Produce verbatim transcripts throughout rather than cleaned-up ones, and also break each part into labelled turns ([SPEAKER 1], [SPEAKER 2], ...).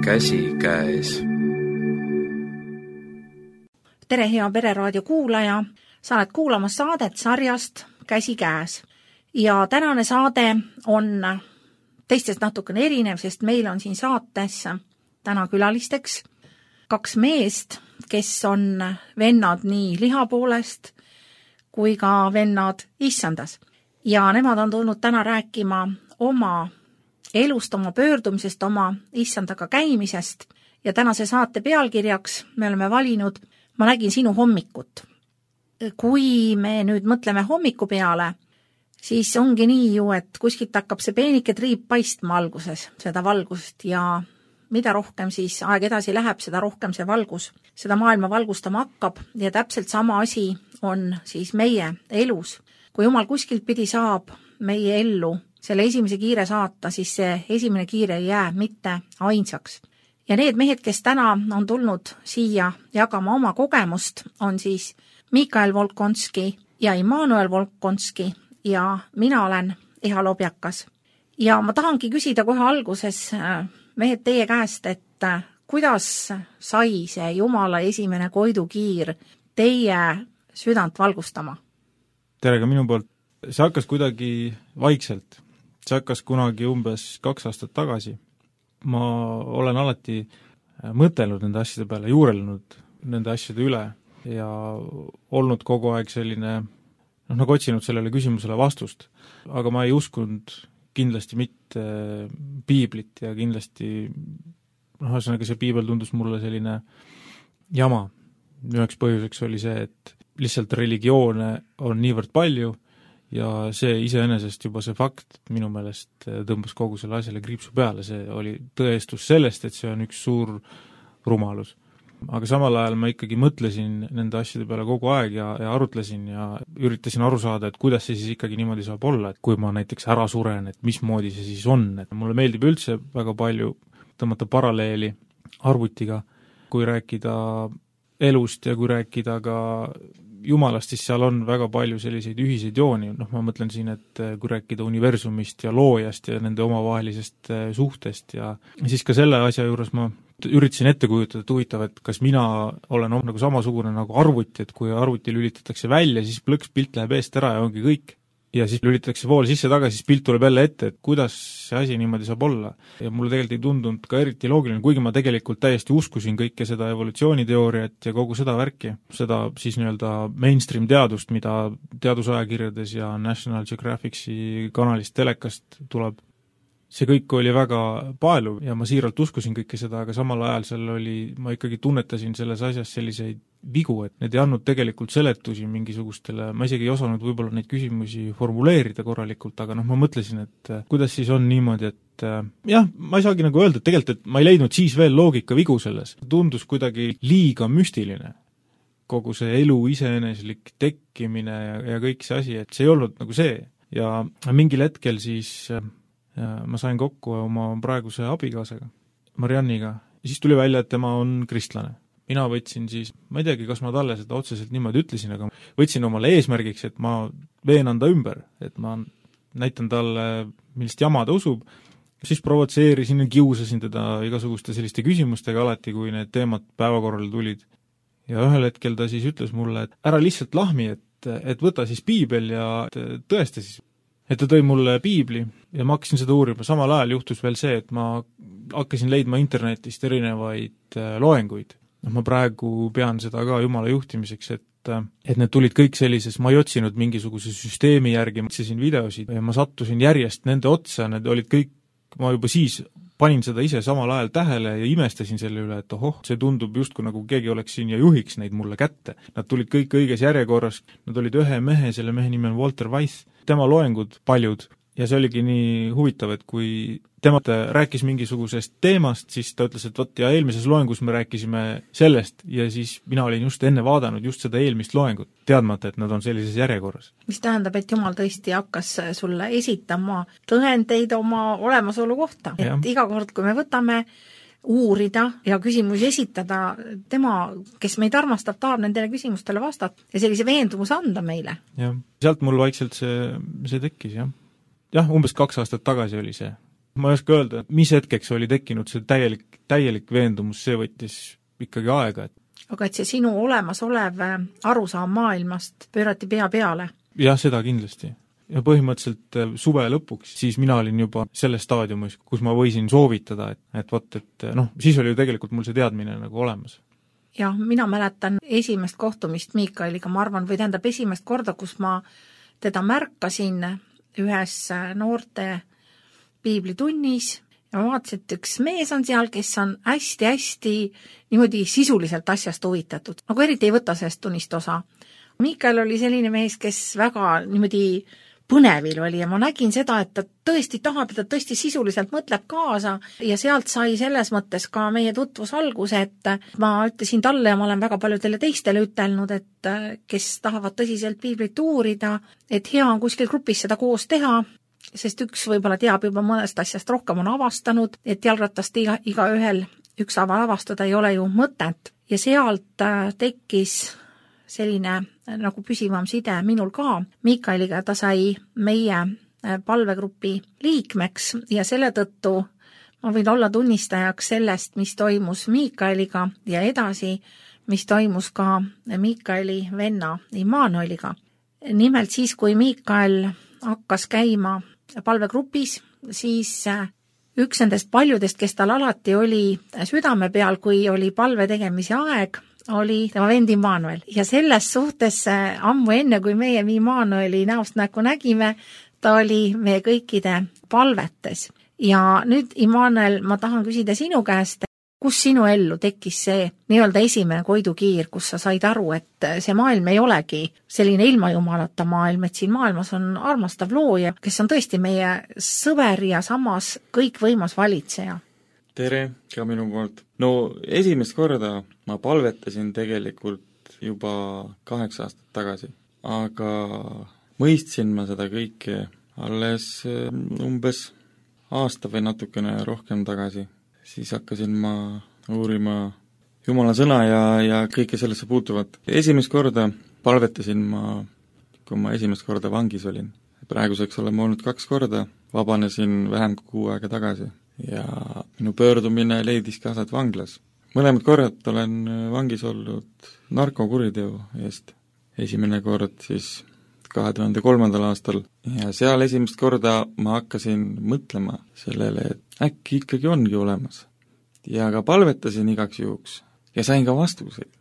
[SPEAKER 1] Käsi käes.
[SPEAKER 2] Tere, hea Pereraadio kuulaja! Sa oled kuulamas saadet sarjast Käsi käes. Ja tänane saade on teistest natukene erinev, sest meil on siin saates täna külalisteks kaks meest, kes on vennad nii liha poolest kui ka vennad issandas. Ja nemad on tulnud täna rääkima oma elust, oma pöördumisest, oma issandaga käimisest. Ja tänase saate pealkirjaks me oleme valinud Ma nägin sinu hommikut. Kui me nüüd mõtleme hommiku peale, siis ongi nii ju, et kuskilt hakkab see peenike triip paistma alguses, seda valgust, ja mida rohkem siis aeg edasi läheb, seda rohkem see valgus, seda maailma valgustama hakkab, ja täpselt sama asi on siis meie elus. Kui Jumal kuskilt pidi saab meie ellu selle esimese kiire saata, siis see esimene kiire ei jää mitte ainsaks. Ja need mehed, kes täna on tulnud siia jagama oma kogemust, on siis Mikael Volkonski ja Immanuel Volkonski ja mina olen Eha Lobjakas. Ja ma tahangi küsida kohe alguses, mehed, teie käest, et kuidas sai see Jumala esimene koidukiir teie südant valgustama?
[SPEAKER 3] Tere ka minu poolt. See hakkas kuidagi vaikselt. See hakkas kunagi umbes kaks aastat tagasi. Ma olen alati mõtelnud nende asjade peale, juurelnud nende asjade üle ja olnud kogu aeg selline, noh, nagu otsinud sellele küsimusele vastust. Aga ma ei uskunud kindlasti mitte piiblit ja kindlasti, noh, ühesõnaga see piibel tundus mulle selline jama. Üheks põhjuseks oli see, et lihtsalt religioone on niivõrd palju ja see iseenesest juba see fakt minu meelest tõmbas kogu selle asjale kriipsu peale. See oli tõestus sellest, et see on üks suur rumalus. Aga samal ajal ma ikkagi mõtlesin nende asjade peale kogu aeg ja, ja arutlesin ja üritasin aru saada, et kuidas see siis ikkagi niimoodi saab olla, et kui ma näiteks ära suren, et mismoodi see siis on. Et mulle meeldib üldse väga palju tõmmata paralleeli arvutiga, kui rääkida elust ja kui rääkida ka Jumalast, siis seal on väga palju selliseid ühiseid jooni. Noh, ma mõtlen siin, et kui rääkida universumist ja loojast ja nende omavahelisest suhtest ja siis ka selle asja juures ma üritasin ette kujutada, et huvitav, et kas mina olen nagu samasugune nagu arvuti, et kui arvuti lülitatakse välja, siis plõks pilt läheb eest ära ja ongi kõik. Ja siis lülitatakse vool sisse tagasi, siis pilt tuleb jälle ette, et kuidas see asi niimoodi saab olla. Ja mulle tegelikult ei tundunud ka eriti loogiline, kuigi ma tegelikult täiesti uskusin kõike seda evolutsiooniteooriat ja kogu seda värki, seda siis nii-öelda mainstream teadust, mida teadusajakirjades ja National Geographic'i kanalist telekast tuleb. See kõik oli väga paeluv ja ma siiralt uskusin kõike seda, aga samal ajal seal oli, ma ikkagi tunnetasin selles asjas selliseid vigu, et need ei andnud tegelikult seletusi mingisugustele, ma isegi ei osanud võib-olla neid küsimusi formuleerida korralikult, aga noh, ma mõtlesin, et kuidas siis on niimoodi, et jah, ma ei saagi nagu öelda, et tegelikult, et ma ei leidnud siis veel loogika vigu selles. Tundus kuidagi liiga müstiline. Kogu see elu iseeneslik tekkimine ja, ja kõik see asi, et see ei olnud nagu see. Ja mingil hetkel siis ja ma sain kokku oma praeguse abikaasaga, Marianniga, ja siis tuli välja, et tema on kristlane. Mina võtsin siis, ma ei teagi, kas ma talle seda otseselt niimoodi ütlesin, aga võtsin omale eesmärgiks, et ma veenan ta ümber, et ma näitan talle, millist jama ta usub, siis provotseerisin ja kiusasin teda igasuguste selliste küsimustega alati, kui need teemad päevakorrale tulid. Ja ühel hetkel ta siis ütles mulle, et ära lihtsalt lahmi, et, et võta siis piibel ja tõesta siis. Et ta tõi mulle piibli ja ma hakkasin seda uurima. Samal ajal juhtus veel see, et ma hakkasin leidma internetist erinevaid loenguid. No, ma praegu pean seda ka Jumala juhtimiseks, et, et need tulid kõik sellises, ma ei otsinud mingisuguse süsteemi järgi, ma otsisin videosid ja ma sattusin järjest nende otsa, need olid kõik, ma juba siis panin seda ise samal ajal tähele ja imestasin selle üle, et ohoh, see tundub justkui nagu keegi oleks siin ja juhiks neid mulle kätte. Nad tulid kõik õiges järjekorras, nad olid ühe mehe, selle mehe nimi on Walter Weiss, tema loengud paljud ja see oligi nii huvitav, et kui tema rääkis mingisugusest teemast, siis ta ütles, et vot ja eelmises loengus me rääkisime sellest ja siis mina olin just enne vaadanud just seda eelmist loengut, teadmata, et nad on sellises järjekorras.
[SPEAKER 2] Mis tähendab, et Jumal tõesti hakkas sulle esitama tõendeid oma olemasolu kohta, et ja. Iga kord, kui me võtame uurida ja küsimusi esitada, tema, kes meid armastab, tahab nendele küsimustele vastata ja sellise veendumuse anda meile.
[SPEAKER 3] Jah, sealt mul vaikselt see, see tekkis, jah. Jah, umbes kaks aastat tagasi oli see. ma ei oska öelda, mis hetkeks oli tekkinud see täielik, täielik veendumus, see võttis ikkagi aega. Et...
[SPEAKER 2] aga et see sinu olemasolev arusaam maailmast pöörati pea peale?
[SPEAKER 3] jah, seda kindlasti. Ja põhimõtteliselt suve lõpuks, siis mina olin juba selles staadiumis, kus ma võisin soovitada, et, et vot, et noh, siis oli ju tegelikult mul see teadmine nagu olemas.
[SPEAKER 2] jah, mina mäletan esimest kohtumist Miikaeliga, ma arvan, või tähendab esimest korda, kus ma teda märkasin ühes noorte piiblitunnis ja ma vaatasin, et üks mees on seal, kes on hästi-hästi niimoodi sisuliselt asjast huvitatud, nagu eriti ei võta sellest tunnist osa. Miikael oli selline mees, kes väga niimoodi põnevil oli ja ma nägin seda, et ta tõesti tahab ja ta tõesti sisuliselt mõtleb kaasa ja sealt sai selles mõttes ka meie tutvus alguse, et ma ütlesin talle ja ma olen väga paljudele teistele ütelnud, et kes tahavad tõsiselt piiblit uurida, et hea on kuskil grupis seda koos teha, sest üks võib-olla teab juba mõnest asjast rohkem, on avastanud, et jalgratast iga, iga ühel ükshaaval avastada ei ole ju mõtet ja sealt tekkis selline nagu püsivam side minul ka Miikaeliga, ta sai meie palvegrupi liikmeks ja selle tõttu ma võin olla tunnistajaks sellest, mis toimus Miikaeliga ja edasi, mis toimus ka Miikaeli venna Immanueliga. Nimelt siis, kui Miikael hakkas käima palvegrupis, siis üks nendest paljudest, kes tal alati oli südame peal, kui oli palve tegemise aeg, oli tema vend Immanuel. Ja selles suhtes ammu enne, kui meie Immanueli näost näkku nägime, ta oli meie kõikide palvetes. Ja nüüd, Immanuel, ma tahan küsida sinu käest, kus sinu ellu tekkis see nii-öelda esimene koidukiir, kus sa said aru, et see maailm ei olegi selline ilma jumalata maailm, et siin maailmas on armastav looja, kes on tõesti meie sõber ja samas kõikvõimas valitseja.
[SPEAKER 1] Tere ka minu poolt. No esimest korda ma palvetasin tegelikult juba kaheksa aastat tagasi, aga mõistsin ma seda kõike alles umbes aasta või natukene rohkem tagasi. Siis hakkasin ma uurima Jumala sõna ja, ja kõike sellesse puutuvat. Esimest korda palvetasin ma, kui ma esimest korda vangis olin. Praeguseks olen ma olnud kaks korda, vabanesin vähem kui kuu aega tagasi ja minu pöördumine leidis ka aset vanglas. Mõlemad korrad olen vangis olnud narkokuriteo eest. Esimene kord siis kahe tuhande kolmandal aastal ja seal esimest korda ma hakkasin mõtlema sellele, et äkki ikkagi ongi olemas. Ja ka palvetasin igaks juhuks ja sain ka vastuseid.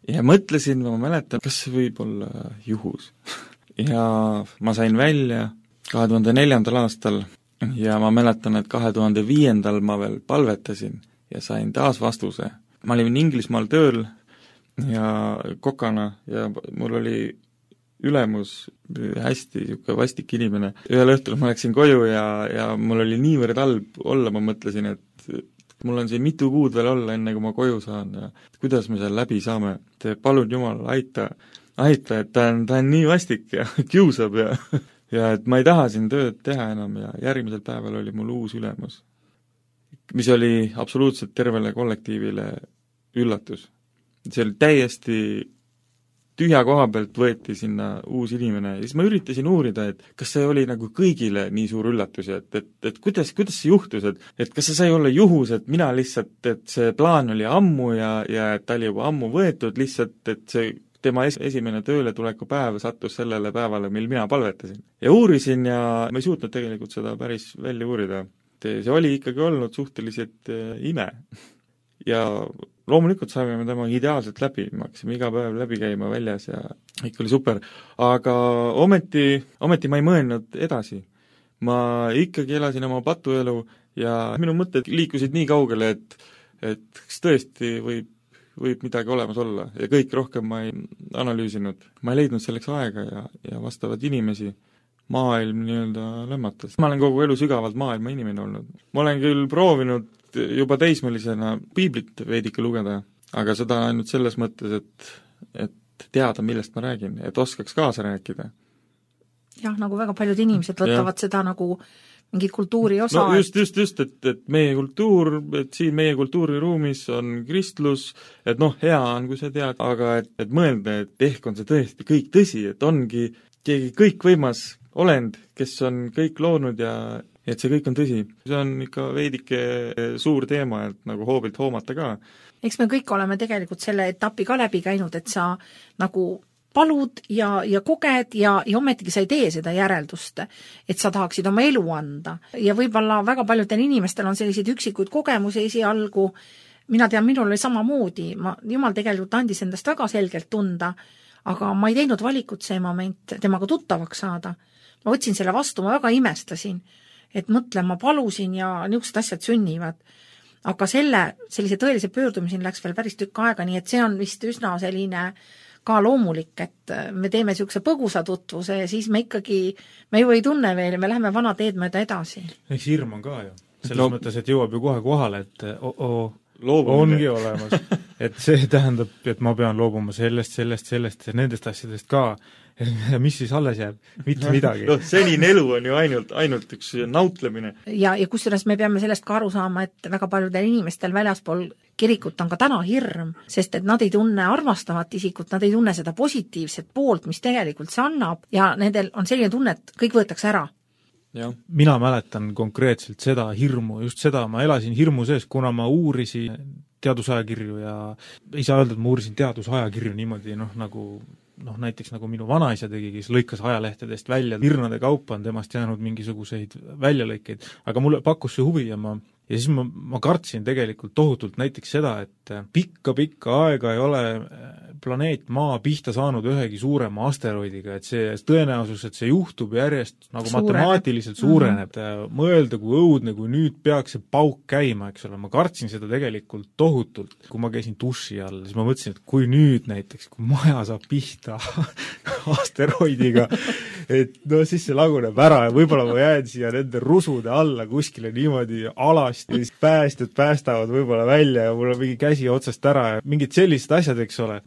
[SPEAKER 1] Ja mõtlesin, ma mäletan, kas see võib olla juhus. Ja ma sain välja kahe tuhande neljandal aastal ja ma mäletan, et kahe tuhande viiendal ma veel palvetasin ja sain taas vastuse. Ma olin Inglismaal tööl ja kokana ja mul oli ülemus hästi niisugune vastik inimene. Ühel õhtul ma läksin koju ja, ja mul oli niivõrd halb olla, ma mõtlesin, et mul on siin mitu kuud veel olla, enne kui ma koju saan ja kuidas me seal läbi saame. Te palun Jumal, aita, aita, et ta on, ta on nii vastik ja kiusab ja, ja et ma ei taha siin tööd teha enam ja järgmisel päeval oli mul uus ülemus, mis oli absoluutselt tervele kollektiivile üllatus. See oli täiesti tühja koha pealt võeti sinna uus inimene ja siis ma üritasin uurida, et kas see oli nagu kõigile nii suur üllatus, et, et, et kuidas, kuidas see juhtus, et, et kas see sai olla juhus, et mina lihtsalt, et see plaan oli ammu ja, ja et ta oli juba ammu võetud lihtsalt, et see tema es- esimene tööle tuleku päev sattus sellele päevale, mil mina palvetasin. Ja uurisin ja ma ei suutnud tegelikult seda päris välja uurida. See oli ikkagi olnud suhteliselt ime. Ja loomulikult saime me tema ideaalselt läbi, me hakkasime iga päev läbi käima väljas ja ikka oli super, aga ometi, ometi ma ei mõelnud edasi. Ma ikkagi elasin oma patuelu ja minu mõtted liikusid nii kaugele, et, et kas tõesti võib, võib midagi olemas olla ja kõik rohkem ma ei analüüsinud. Ma ei leidnud selleks aega ja, ja vastavad inimesi. Maailm nii-öelda lämmatas. Ma olen kogu elu sügavalt maailma inimene olnud. Ma olen küll proovinud juba teismelisena piiblit veidike lugeda, aga seda ainult selles mõttes, et, et teada, millest ma räägin, et oskaks kaasa rääkida.
[SPEAKER 2] Jah, nagu väga paljud inimesed võtavad ja. Seda nagu mingit kultuuri osa.
[SPEAKER 1] No just, just, just, et, et meie kultuur, et siin meie kultuuriruumis on kristlus, et noh, hea on, kui sa tead, aga et, et mõelda, et ehk on see tõesti kõik tõsi, et ongi keegi kõikvõimas, olend, kes on kõik loonud ja et see kõik on tõsi. See on ikka veidike suur teema, et nagu hoobilt hoomata ka.
[SPEAKER 2] Eks me kõik oleme tegelikult selle etapi ka läbi käinud, et sa nagu palud ja, ja koged ja, ja ometigi sa ei tee seda järeldust, et sa tahaksid oma elu anda. Ja võib-olla väga paljudel inimestel on selliseid üksikuid kogemusi esialgu, mina tean, minul oli samamoodi, ma, jumal tegelikult andis endast väga selgelt tunda, aga ma ei teinud valikut see moment temaga tuttavaks saada. Ma võtsin selle vastu, ma väga imestasin, et mõtlen, ma palusin ja niisugused asjad sünnivad. Aga selle, sellise tõelise pöördumiseni läks veel päris tükk aega, nii et see on vist üsna selline ka loomulik, et me teeme niisuguse põgusa tutvuse ja siis me ikkagi, me ju ei tunne veel ja me läheme vana teed mööda edasi.
[SPEAKER 3] Eks hirm on ka ju. Selles no, mõttes, et jõuab ju kohe kohale, et oh, oh, ongi olemas. Et see tähendab, et ma pean loobuma sellest, sellest, sellest ja nendest asjadest ka. Mis siis alles jääb? Mitte midagi.
[SPEAKER 1] No, senine elu on ju ainult, ainult üks nautlemine.
[SPEAKER 2] Ja, ja kusjuures me peame sellest ka aru saama, et väga paljudel inimestel väljaspool kirikut on ka täna hirm, sest et nad ei tunne armastavat isikut, nad ei tunne seda positiivset poolt, mis tegelikult see annab ja nendel on selline tunne, et kõik võetakse ära.
[SPEAKER 1] Ja.
[SPEAKER 3] Mina mäletan konkreetselt seda hirmu, just seda, ma elasin hirmu sees, kuna ma uurisin teadusajakirju ja ei saa öelda, et ma uurisin teadusajakirju niimoodi, noh, nagu noh, näiteks nagu minu vanaisa tegi, kes lõikas ajalehtedest välja, virnade kaupa on temast jäänud mingisuguseid väljalõikeid, aga mulle pakkus see huvi ja ma ja siis ma, ma kartsin tegelikult tohutult näiteks seda, et pikka-pikka aega ei ole planeet Maa pihta saanud ühegi suurema asteroidiga, et see tõenäosus, et see juhtub järjest nagu suureneb. Matemaatiliselt suureneb. Mm-hmm. Mõelda, kui õudne, kui nüüd peaks see pauk käima, eks ole, ma kartsin seda tegelikult tohutult. Kui ma käisin duši all, siis ma mõtlesin, et kui nüüd näiteks, kui maja saab pihta asteroidiga, et no siis see laguneb ära ja võib-olla ma jään siia nende rusude alla kuskile niimoodi alast ja siis päästjad päästavad võib-olla välja ja mul on mingi käsi otsast ära ja mingid sellised asjad, eks ole.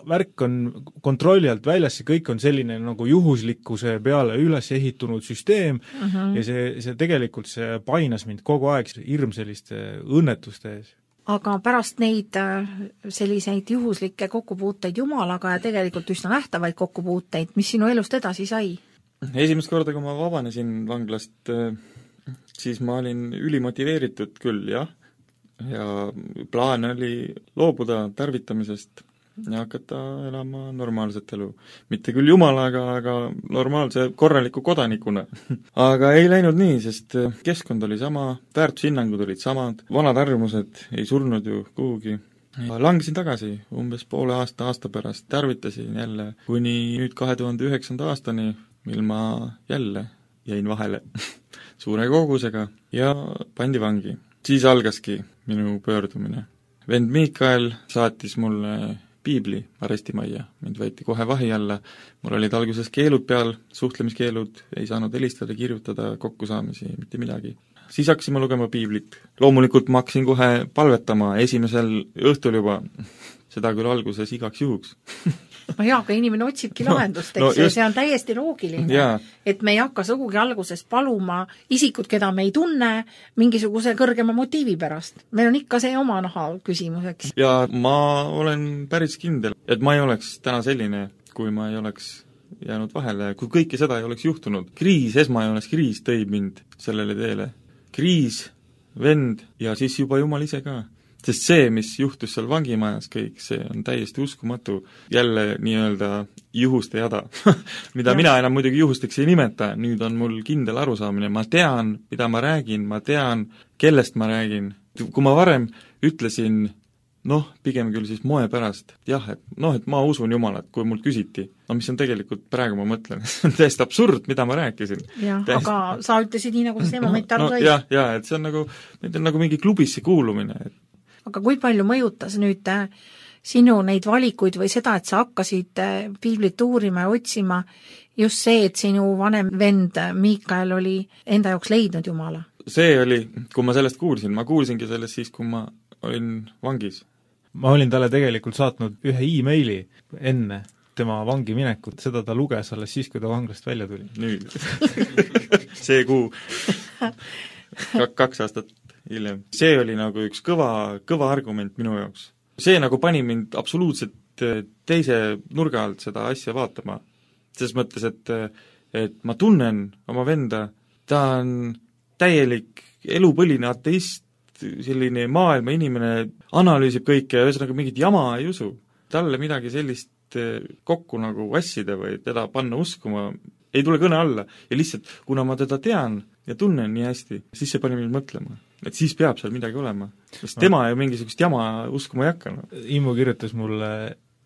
[SPEAKER 3] Värk on kontrolli alt väljas, see kõik on selline nagu juhuslikkuse peale üles ehitunud süsteem uh-huh. ja see, see tegelikult see painas mind kogu aeg hirm selliste õnnetuste ees.
[SPEAKER 2] Aga pärast neid selliseid juhuslikke kokkupuuteid Jumalaga ja tegelikult üsna nähtavaid kokkupuuteid, mis sinu elust edasi sai?
[SPEAKER 1] Esimest korda, kui ma vabanesin vanglast, siis ma olin ülimotiveeritud küll, jah, ja plaan oli loobuda tarvitamisest ja hakata elama normaalset elu. Mitte küll jumalaga, aga normaalse korraliku kodanikuna. Aga ei läinud nii, sest keskkond oli sama, väärtushinnangud olid samad, vanad arvamused ei surnud ju kuhugi. Langesin tagasi umbes poole aasta aasta pärast, tarvitasin jälle kuni nüüd kahe tuhande üheksanda aastani, mil ma jälle jäin vahele suure kogusega ja pandi vangi. Siis algaski minu pöördumine. Vend Miikael saatis mulle piibli arestimajja, mind võeti kohe vahi alla, mul olid alguses keelud peal, suhtlemiskeelud, ei saanud helistada, kirjutada, kokkusaamisi, mitte midagi. Siis hakkasime lugema piiblit. Loomulikult ma hakkasin kohe palvetama esimesel õhtul juba, seda küll alguses igaks juhuks.
[SPEAKER 2] No jaa, aga inimene otsibki lahendust, eks no, just, see on täiesti loogiline,
[SPEAKER 1] jaa.
[SPEAKER 2] Et me ei hakka sugugi alguses paluma isikut, keda me ei tunne, mingisuguse kõrgema motiivi pärast. Meil on ikka see oma naha küsimuseks.
[SPEAKER 1] Ja ma olen päris kindel, et ma ei oleks täna selline, kui ma ei oleks jäänud vahele, kui kõike seda ei oleks juhtunud. Kriis, esmajoones kriis tõi mind sellele teele. Kriis, vend ja siis juba Jumal ise ka. Sest see, mis juhtus seal vangimajas kõik, see on täiesti uskumatu. Jälle nii-öelda juhuste jada, mida ja. Mina enam muidugi juhusteks ei nimeta, nüüd on mul kindel arusaamine. Ma tean, mida ma räägin, ma tean, kellest ma räägin. Kui ma varem ütlesin, noh, pigem küll siis moe pärast, jah, et noh, et ma usun Jumalat, kui mult küsiti. No mis on tegelikult, praegu ma mõtlen, see on täiesti absurd, mida ma rääkisin.
[SPEAKER 2] Jah, täiesti... aga sa ütlesid nii, nagu see moment aru sai.
[SPEAKER 1] No, jah, jah, et see on nagu, on nagu mingi klubisse kuulumine, et
[SPEAKER 2] aga kui palju mõjutas nüüd sinu neid valikuid või seda, et sa hakkasid piiblit uurima ja otsima just see, et sinu vanem vend Miikael oli enda jaoks leidnud Jumala?
[SPEAKER 1] See oli, kui ma sellest kuulsin, ma kuulsingi sellest siis, kui ma olin vangis.
[SPEAKER 3] Ma olin talle tegelikult saatnud ühe e-maili enne tema vangi minekut, seda ta luges alles siis, kui ta vanglast välja tuli.
[SPEAKER 1] Nüüd. see kuu. Kaks aastat hiljem. See oli nagu üks kõva, kõva argument minu jaoks. See nagu pani mind absoluutselt teise nurga alt seda asja vaatama. Selles mõttes, et et ma tunnen oma venda, ta on täielik elupõline ateist, selline maailma inimene, analüüsib kõike ja ühesõnaga mingit jama ei usu. Talle midagi sellist kokku nagu vassida või teda panna uskuma ei tule kõne alla ja lihtsalt, kuna ma teda tean ja tunnen nii hästi, siis see pani mind mõtlema, et siis peab seal midagi olema. Sest tema ju mingisugust jama uskuma ei hakka. No.
[SPEAKER 3] Immu kirjutas mulle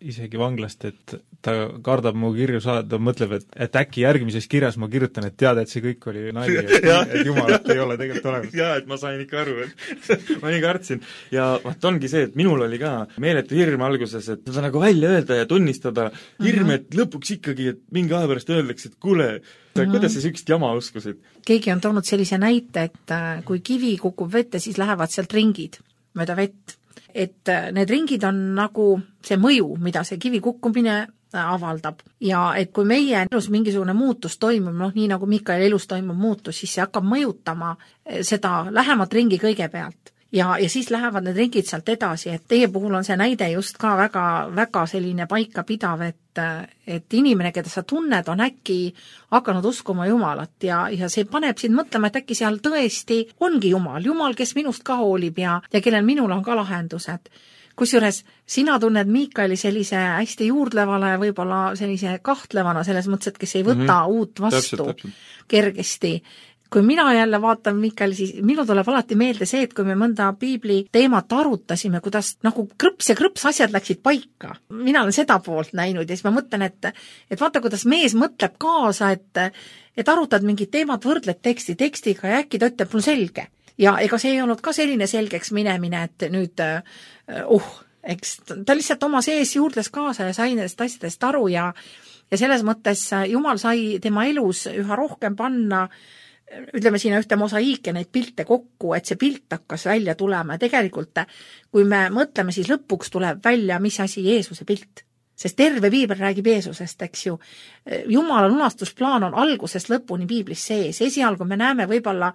[SPEAKER 3] isegi vanglast, et ta kardab mu kirju saada, ta mõtleb, et, et äkki järgmises kirjas ma kirjutan, et teada, et see kõik oli nali, et, et jumalat ei ole tegelikult olemas.
[SPEAKER 1] Jaa, et ma sain ikka aru, et ma nii kartsin. Ja vaat ongi see, et minul oli ka meeletu hirm alguses, et seda nagu välja öelda ja tunnistada hirm, et lõpuks ikkagi, et mingi aja pärast öeldakse, et kuule, mm-hmm. kuidas sa sükst jama uskusid?
[SPEAKER 2] Keegi on toonud sellise näite, et kui kivi kukub vette, siis lähevad sealt ringid mööda vett. Et need ringid on nagu see mõju, mida see kivi kukkumine avaldab. Ja et kui meie elus mingisugune muutus toimub, noh nii nagu Mikael elus toimub muutus, siis see hakkab mõjutama seda lähemat ringi kõigepealt. Ja, ja siis lähevad need ringid sealt edasi, et teie puhul on see näide just ka väga, väga selline paika pidav, et, et inimene, keda sa tunned, on äkki hakanud uskuma Jumalat ja, ja see paneb sind mõtlema, et äkki seal tõesti ongi Jumal, Jumal, kes minust ka hoolib ja, ja kellel minul on ka lahendused. Kusjuures sina tunned Miikaeli sellise hästi juurdlevale, võib-olla sellise kahtlevana, selles mõttes, et kes ei võta mm-hmm. uut vastu täpselt, täpselt. Kergesti. Kui mina jälle vaatan Miikael, siis minu tuleb alati meelde see, et kui me mõnda piibli teemat arutasime, kuidas nagu krõps ja krõps asjad läksid paika. Mina olen seda poolt näinud ja siis ma mõtlen, et, et vaata, kuidas mees mõtleb kaasa, et, et arutad mingit teemat, võrdled teksti tekstiga ja äkki ta ütleb mul selge. Ja ega see ei olnud ka selline selgeks minemine, et nüüd uh, eks ta lihtsalt oma sees juurdles kaasa ja sai nendest asjadest aru ja, ja selles mõttes Jumal sai tema elus üha rohkem panna ütleme siin ühte mosaiike neid pilte kokku, et see pilt hakkas välja tulema ja tegelikult, kui me mõtleme, siis lõpuks tuleb välja, mis asi Jeesuse pilt. Sest terve piibel räägib Jeesusest, eks ju. Jumala lunastusplaan on algusest lõpuni piiblis sees. Esialgu me näeme võib-olla,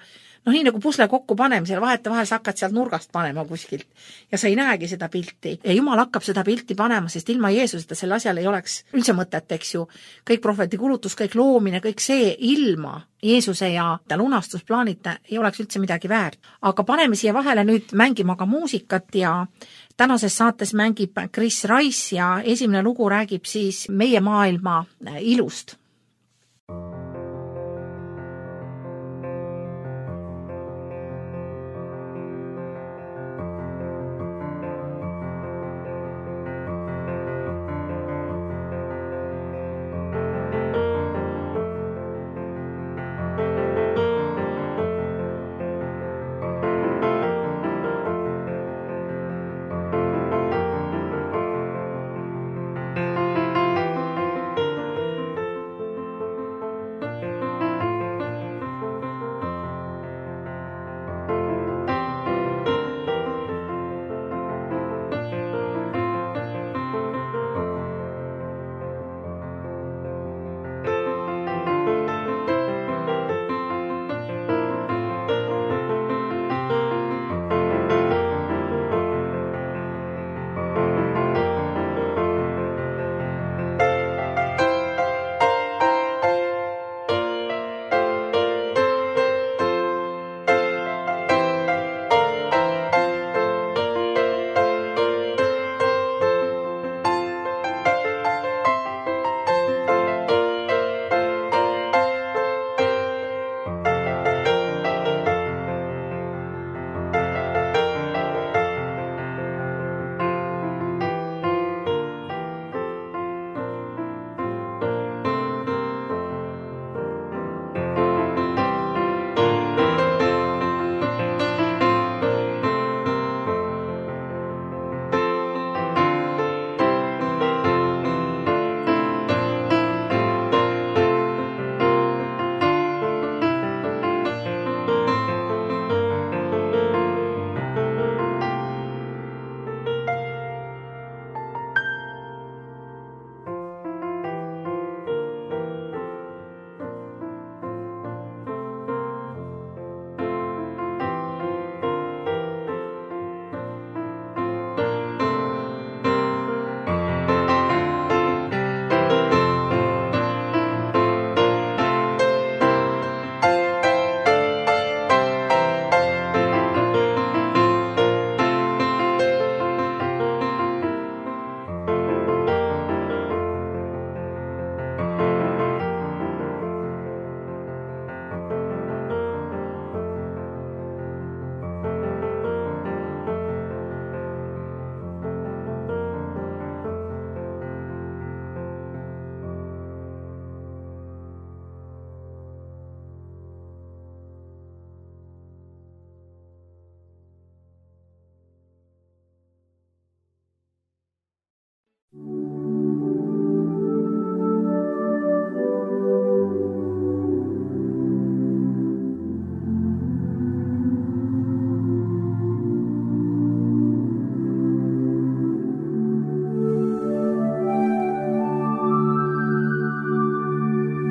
[SPEAKER 2] noh nii nagu pusle kokku panemisel, vahete vahel sa hakkad sealt nurgast panema kuskilt ja sa ei näegi seda pilti. Ja Jumal hakkab seda pilti panema, sest ilma Jeesuseta selle asjal ei oleks üldse mõtet, eks ju. Kõik prohveti kulutus, kõik loomine, kõik see ilma Jeesuse ja lunastusplaanita ei oleks üldse midagi väärt. Aga paneme siia vahele nüüd mängima ka muusikat ja tänases saates mängib Chris Rice ja esimene lugu räägib siis meie maailma ilust.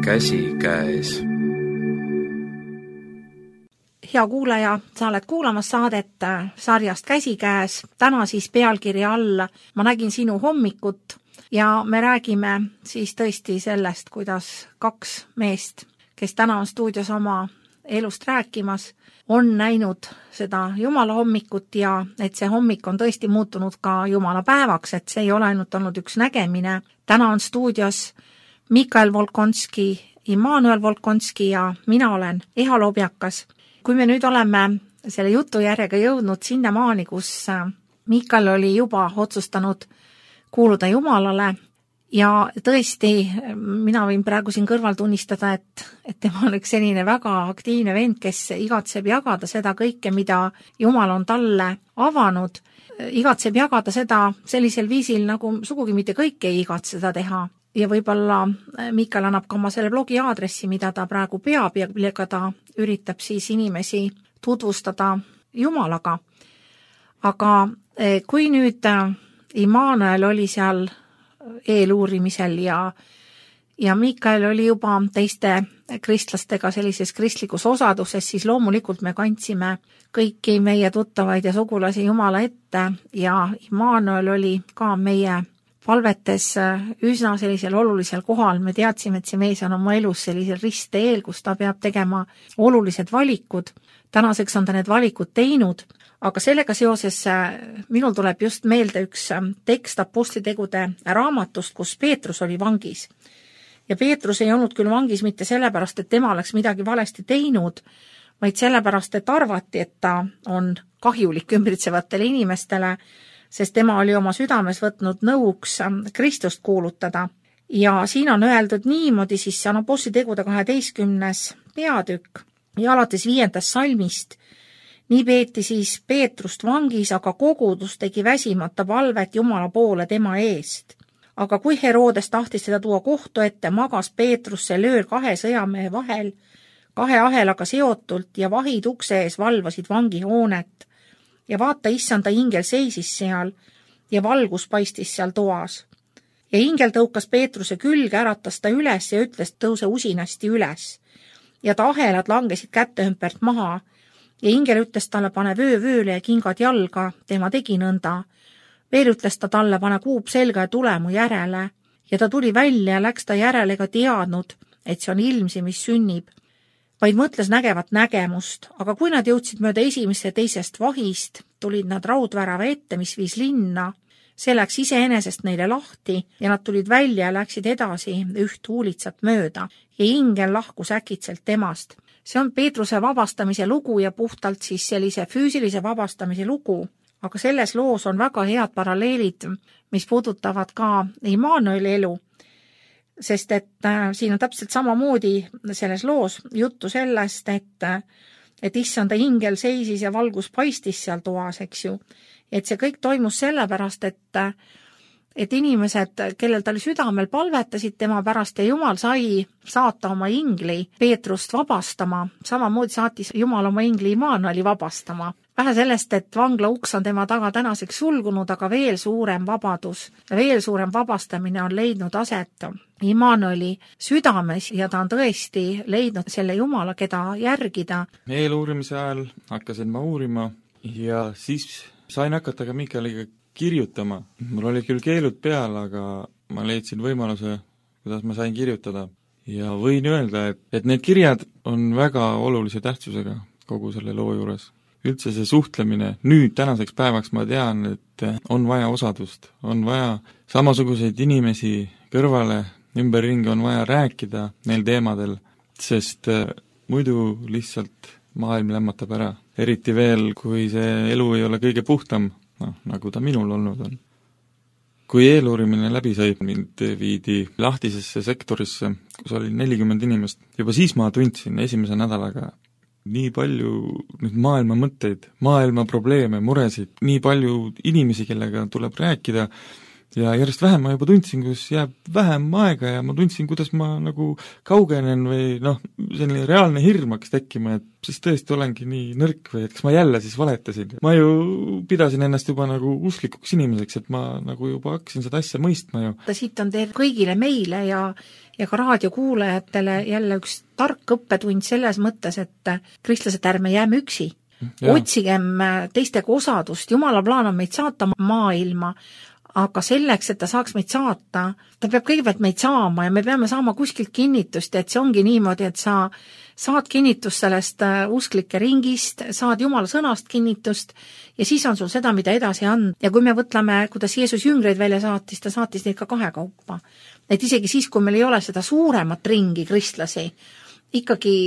[SPEAKER 4] käsikäes.
[SPEAKER 2] Hea kuulaja, sa oled kuulamas saadet sarjast Käsikäes. Täna siis pealkirja all Ma nägin sinu hommikut ja me räägime siis tõesti sellest, kuidas kaks meest, kes täna on stuudios oma elust rääkimas, on näinud seda Jumala hommikut ja et see hommik on tõesti muutunud ka Jumala päevaks, et see ei ole ainult olnud üks nägemine. Täna on stuudios Mikael Volkonski, Immanuel Volkonski ja mina olen Eha Lobjakas. Kui me nüüd oleme selle jutu järjega jõudnud sinnamaani, kus Mikael oli juba otsustanud kuuluda Jumalale ja tõesti, mina võin praegu siin kõrval tunnistada, et, et tema on üks selline väga aktiivne vend, kes igatseb jagada seda kõike, mida Jumal on talle avanud, igatseb jagada seda sellisel viisil, nagu sugugi mitte kõik ei igatse seda teha. Ja võib-olla Mikael annab ka oma selle blogi aadressi, mida ta praegu peab ja millega ta üritab siis inimesi tutvustada Jumalaga. Aga kui nüüd Immanuel oli seal eeluurimisel ja, ja Mikael oli juba teiste kristlastega sellises kristlikus osaduses, siis loomulikult me kandsime kõiki meie tuttavaid ja sugulasi Jumala ette ja Immanuel oli ka meie palvetes üsna sellisel olulisel kohal. Me teadsime, et see mees on oma elus sellisel ristteel, kus ta peab tegema olulised valikud. Tänaseks on ta need valikud teinud, aga sellega seoses minul tuleb just meelde üks tekst apostlitegude raamatust, kus Peetrus oli vangis. Ja Peetrus ei olnud küll vangis mitte sellepärast, et tema oleks midagi valesti teinud, vaid sellepärast, et arvati, et ta on kahjulik ümbritsevatele inimestele, sest tema oli oma südames võtnud nõuks Kristust kuulutada. Ja siin on öeldud niimoodi, siis see on apostlitegude kaheteistkümnes peatükk ja alates viiendast salmist. Nii peeti siis Peetrust vangis, aga kogudus tegi väsimata palvet Jumala poole tema eest. Aga kui Herodes tahtis seda tuua kohtu ette, magas Peetrus see löör kahe sõjamehe vahel, kahe ahelaga seotult ja vahid ukse ees valvasid vangihoonet. Ja vaata, issanda ingel seisis seal ja valgus paistis seal toas. Ja ingel tõukas Peetruse külge, äratas ta üles ja ütles, tõuse usinasti üles. Ja ta ahelad langesid kätte ümpert maha ja ingel ütles talle, pane vöö vööle ja kingad jalga, tema tegi nõnda. Veel ütles ta talle, pane kuup selga ja tule mu järele. Ja ta tuli välja ja läks ta järele ega teadnud, et see on ilmsi, mis sünnib, vaid mõtles nägevat nägemust, aga kui nad jõudsid mööda esimest ja teisest vahist, tulid nad raudvärava ette, mis viis linna. See läks iseenesest neile lahti ja nad tulid välja ja läksid edasi üht huulitsat mööda ja ingel lahkus äkitselt temast. See on Peetruse vabastamise lugu ja puhtalt siis sellise füüsilise vabastamise lugu, aga selles loos on väga head paralleelid, mis puudutavad ka Immanueli elu. Sest et äh, siin on täpselt samamoodi selles loos juttu sellest, et, et issanda ingel seisis ja valgus paistis seal toas, eks ju. Et see kõik toimus sellepärast, et, et inimesed, kellel ta oli südamel, palvetasid tema pärast ja Jumal sai saata oma ingli Peetrust vabastama. Samamoodi saatis Jumal oma ingli Immanueli vabastama. Vähe sellest, et vangla uks on tema taga tänaseks sulgunud, aga veel suurem vabadus ja veel suurem vabastamine on leidnud aset Immanueli südames ja ta on tõesti leidnud selle Jumala, keda järgida.
[SPEAKER 1] Eeluurimise ajal hakkasin ma uurima ja siis sain hakata ka Mikaeliga kirjutama. Mul oli küll keelud peal, aga ma leidsin võimaluse, kuidas ma sain kirjutada. Ja võin öelda, et, et need kirjad on väga olulise tähtsusega kogu selle loo juures. Üldse see suhtlemine, nüüd tänaseks päevaks ma tean, et on vaja osadust, on vaja samasuguseid inimesi kõrvale, ümberringi on vaja rääkida neil teemadel, sest muidu lihtsalt maailm lämmatab ära. Eriti veel, kui see elu ei ole kõige puhtam, no, nagu ta minul olnud on. Kui eeluurimine läbi sai, mind viidi lahtisesse sektorisse, kus oli nelikümmend inimest, juba siis ma tundsin esimese nädalaga nii palju nüüd maailma mõtteid, maailma probleeme, muresid, nii palju inimesi, kellega tuleb rääkida ja järjest vähem ma juba tundsin, kus jääb vähem aega ja ma tundsin, kuidas ma nagu kaugenen või noh, selline reaalne hirm hakkas tekkima, et siis tõesti olengi nii nõrk või et kas ma jälle siis valetasin. Ma ju pidasin ennast juba nagu usklikuks inimeseks, et ma nagu juba hakkasin seda asja mõistma ju.
[SPEAKER 2] Siit on teil kõigile meile ja, ja ka raadiokuulajatele jälle üks tark õppetund selles mõttes, et kristlased, ärme jääme üksi. Ja. Otsigem teistega osadust, Jumala plaan on meid saata maailma, aga selleks, et ta saaks meid saata, ta peab kõigepealt meid saama ja me peame saama kuskilt kinnitust, et see ongi niimoodi, et sa saad kinnitust sellest usklike ringist, saad Jumala sõnast kinnitust ja siis on sul seda, mida edasi anda. Ja kui me võtleme, kuidas Jeesus jüngreid välja saatis, ta saatis neid ka kahekaupa. Et isegi siis, kui meil ei ole seda suuremat ringi kristlasi, ikkagi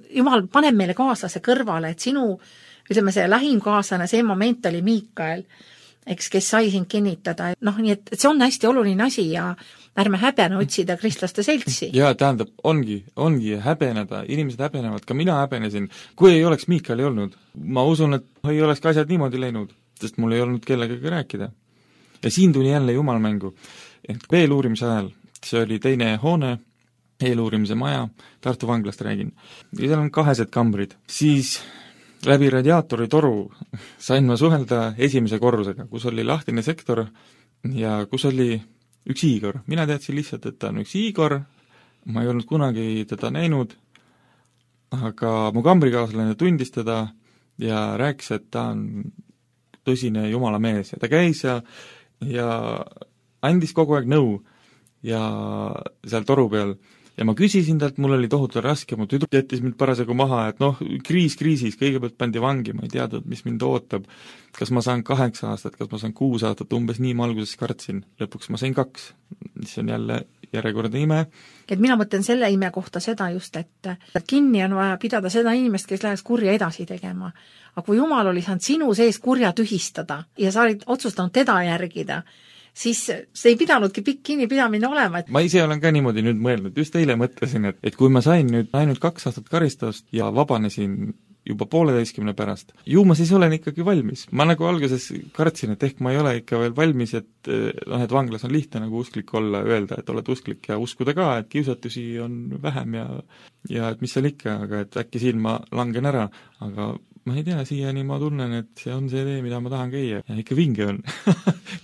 [SPEAKER 2] Jumal paneb meile kaaslase kõrvale, et sinu, ütleme see lähim kaaslane, see moment oli Miikael, eks, kes sai sind kinnitada. Noh, nii et see on hästi oluline asi ja ärme häbene otsida kristlaste seltsi.
[SPEAKER 1] Jaa, tähendab, ongi, ongi häbeneda, inimesed häbenevad, ka mina häbenesin. Kui ei oleks Miikaeli olnud, ma usun, et ei oleks ka asjad niimoodi läinud, sest mul ei olnud kellegagi rääkida. Ja siin tuli jälle Jumal mängu. Et eeluurimise ajal, see oli teine hoone, eeluurimise maja, Tartu vanglast räägin. Ja seal on kahesed kambrid. Siis läbi radiaatori toru sain ma suhelda esimese korrusega, kus oli lahtine sektor ja kus oli üks Igor. Mina teadsin lihtsalt, et ta on üks Igor, ma ei olnud kunagi teda näinud, aga mu kambrikaaslane tundis teda ja rääkis, et ta on tõsine Jumala mees ja ta käis ja, ja andis kogu aeg nõu ja seal toru peal. Ja ma küsisin talt, mul oli tohutu raske, mu tüdruk jättis mind parasjagu maha, et noh, kriis kriisis, kõigepealt pandi vangi, ma ei teadnud, mis mind ootab. Kas ma saan kaheksa aastat, kas ma saan kuus aastat, umbes nii ma alguses kartsin. Lõpuks ma sain kaks, mis on jälle järjekordne ime.
[SPEAKER 2] Et mina mõtlen selle ime kohta seda just, et kinni on vaja pidada seda inimest, kes läheks kurja edasi tegema. Aga kui Jumal oli saanud sinu sees kurja tühistada ja sa olid otsustanud teda järgida, siis see ei pidanudki pikk kinnipidamine olema. Et...
[SPEAKER 1] ma ise olen ka niimoodi nüüd mõelnud, just eile mõtlesin, et, et kui ma sain nüüd ainult kaks aastat karistust ja vabanesin juba pooleteistkümne pärast, ju ma siis olen ikkagi valmis. Ma nagu alguses kartsin, et ehk ma ei ole ikka veel valmis, et noh, et vanglas on lihtne nagu usklik olla, öelda, et oled usklik ja uskuda ka, et kiusatusi on vähem ja, ja et mis seal ikka, aga et äkki siin ma langen ära, aga ma ei tea, siiani ma tunnen, et see on see tee, mida ma tahan käia ja ikka vinge on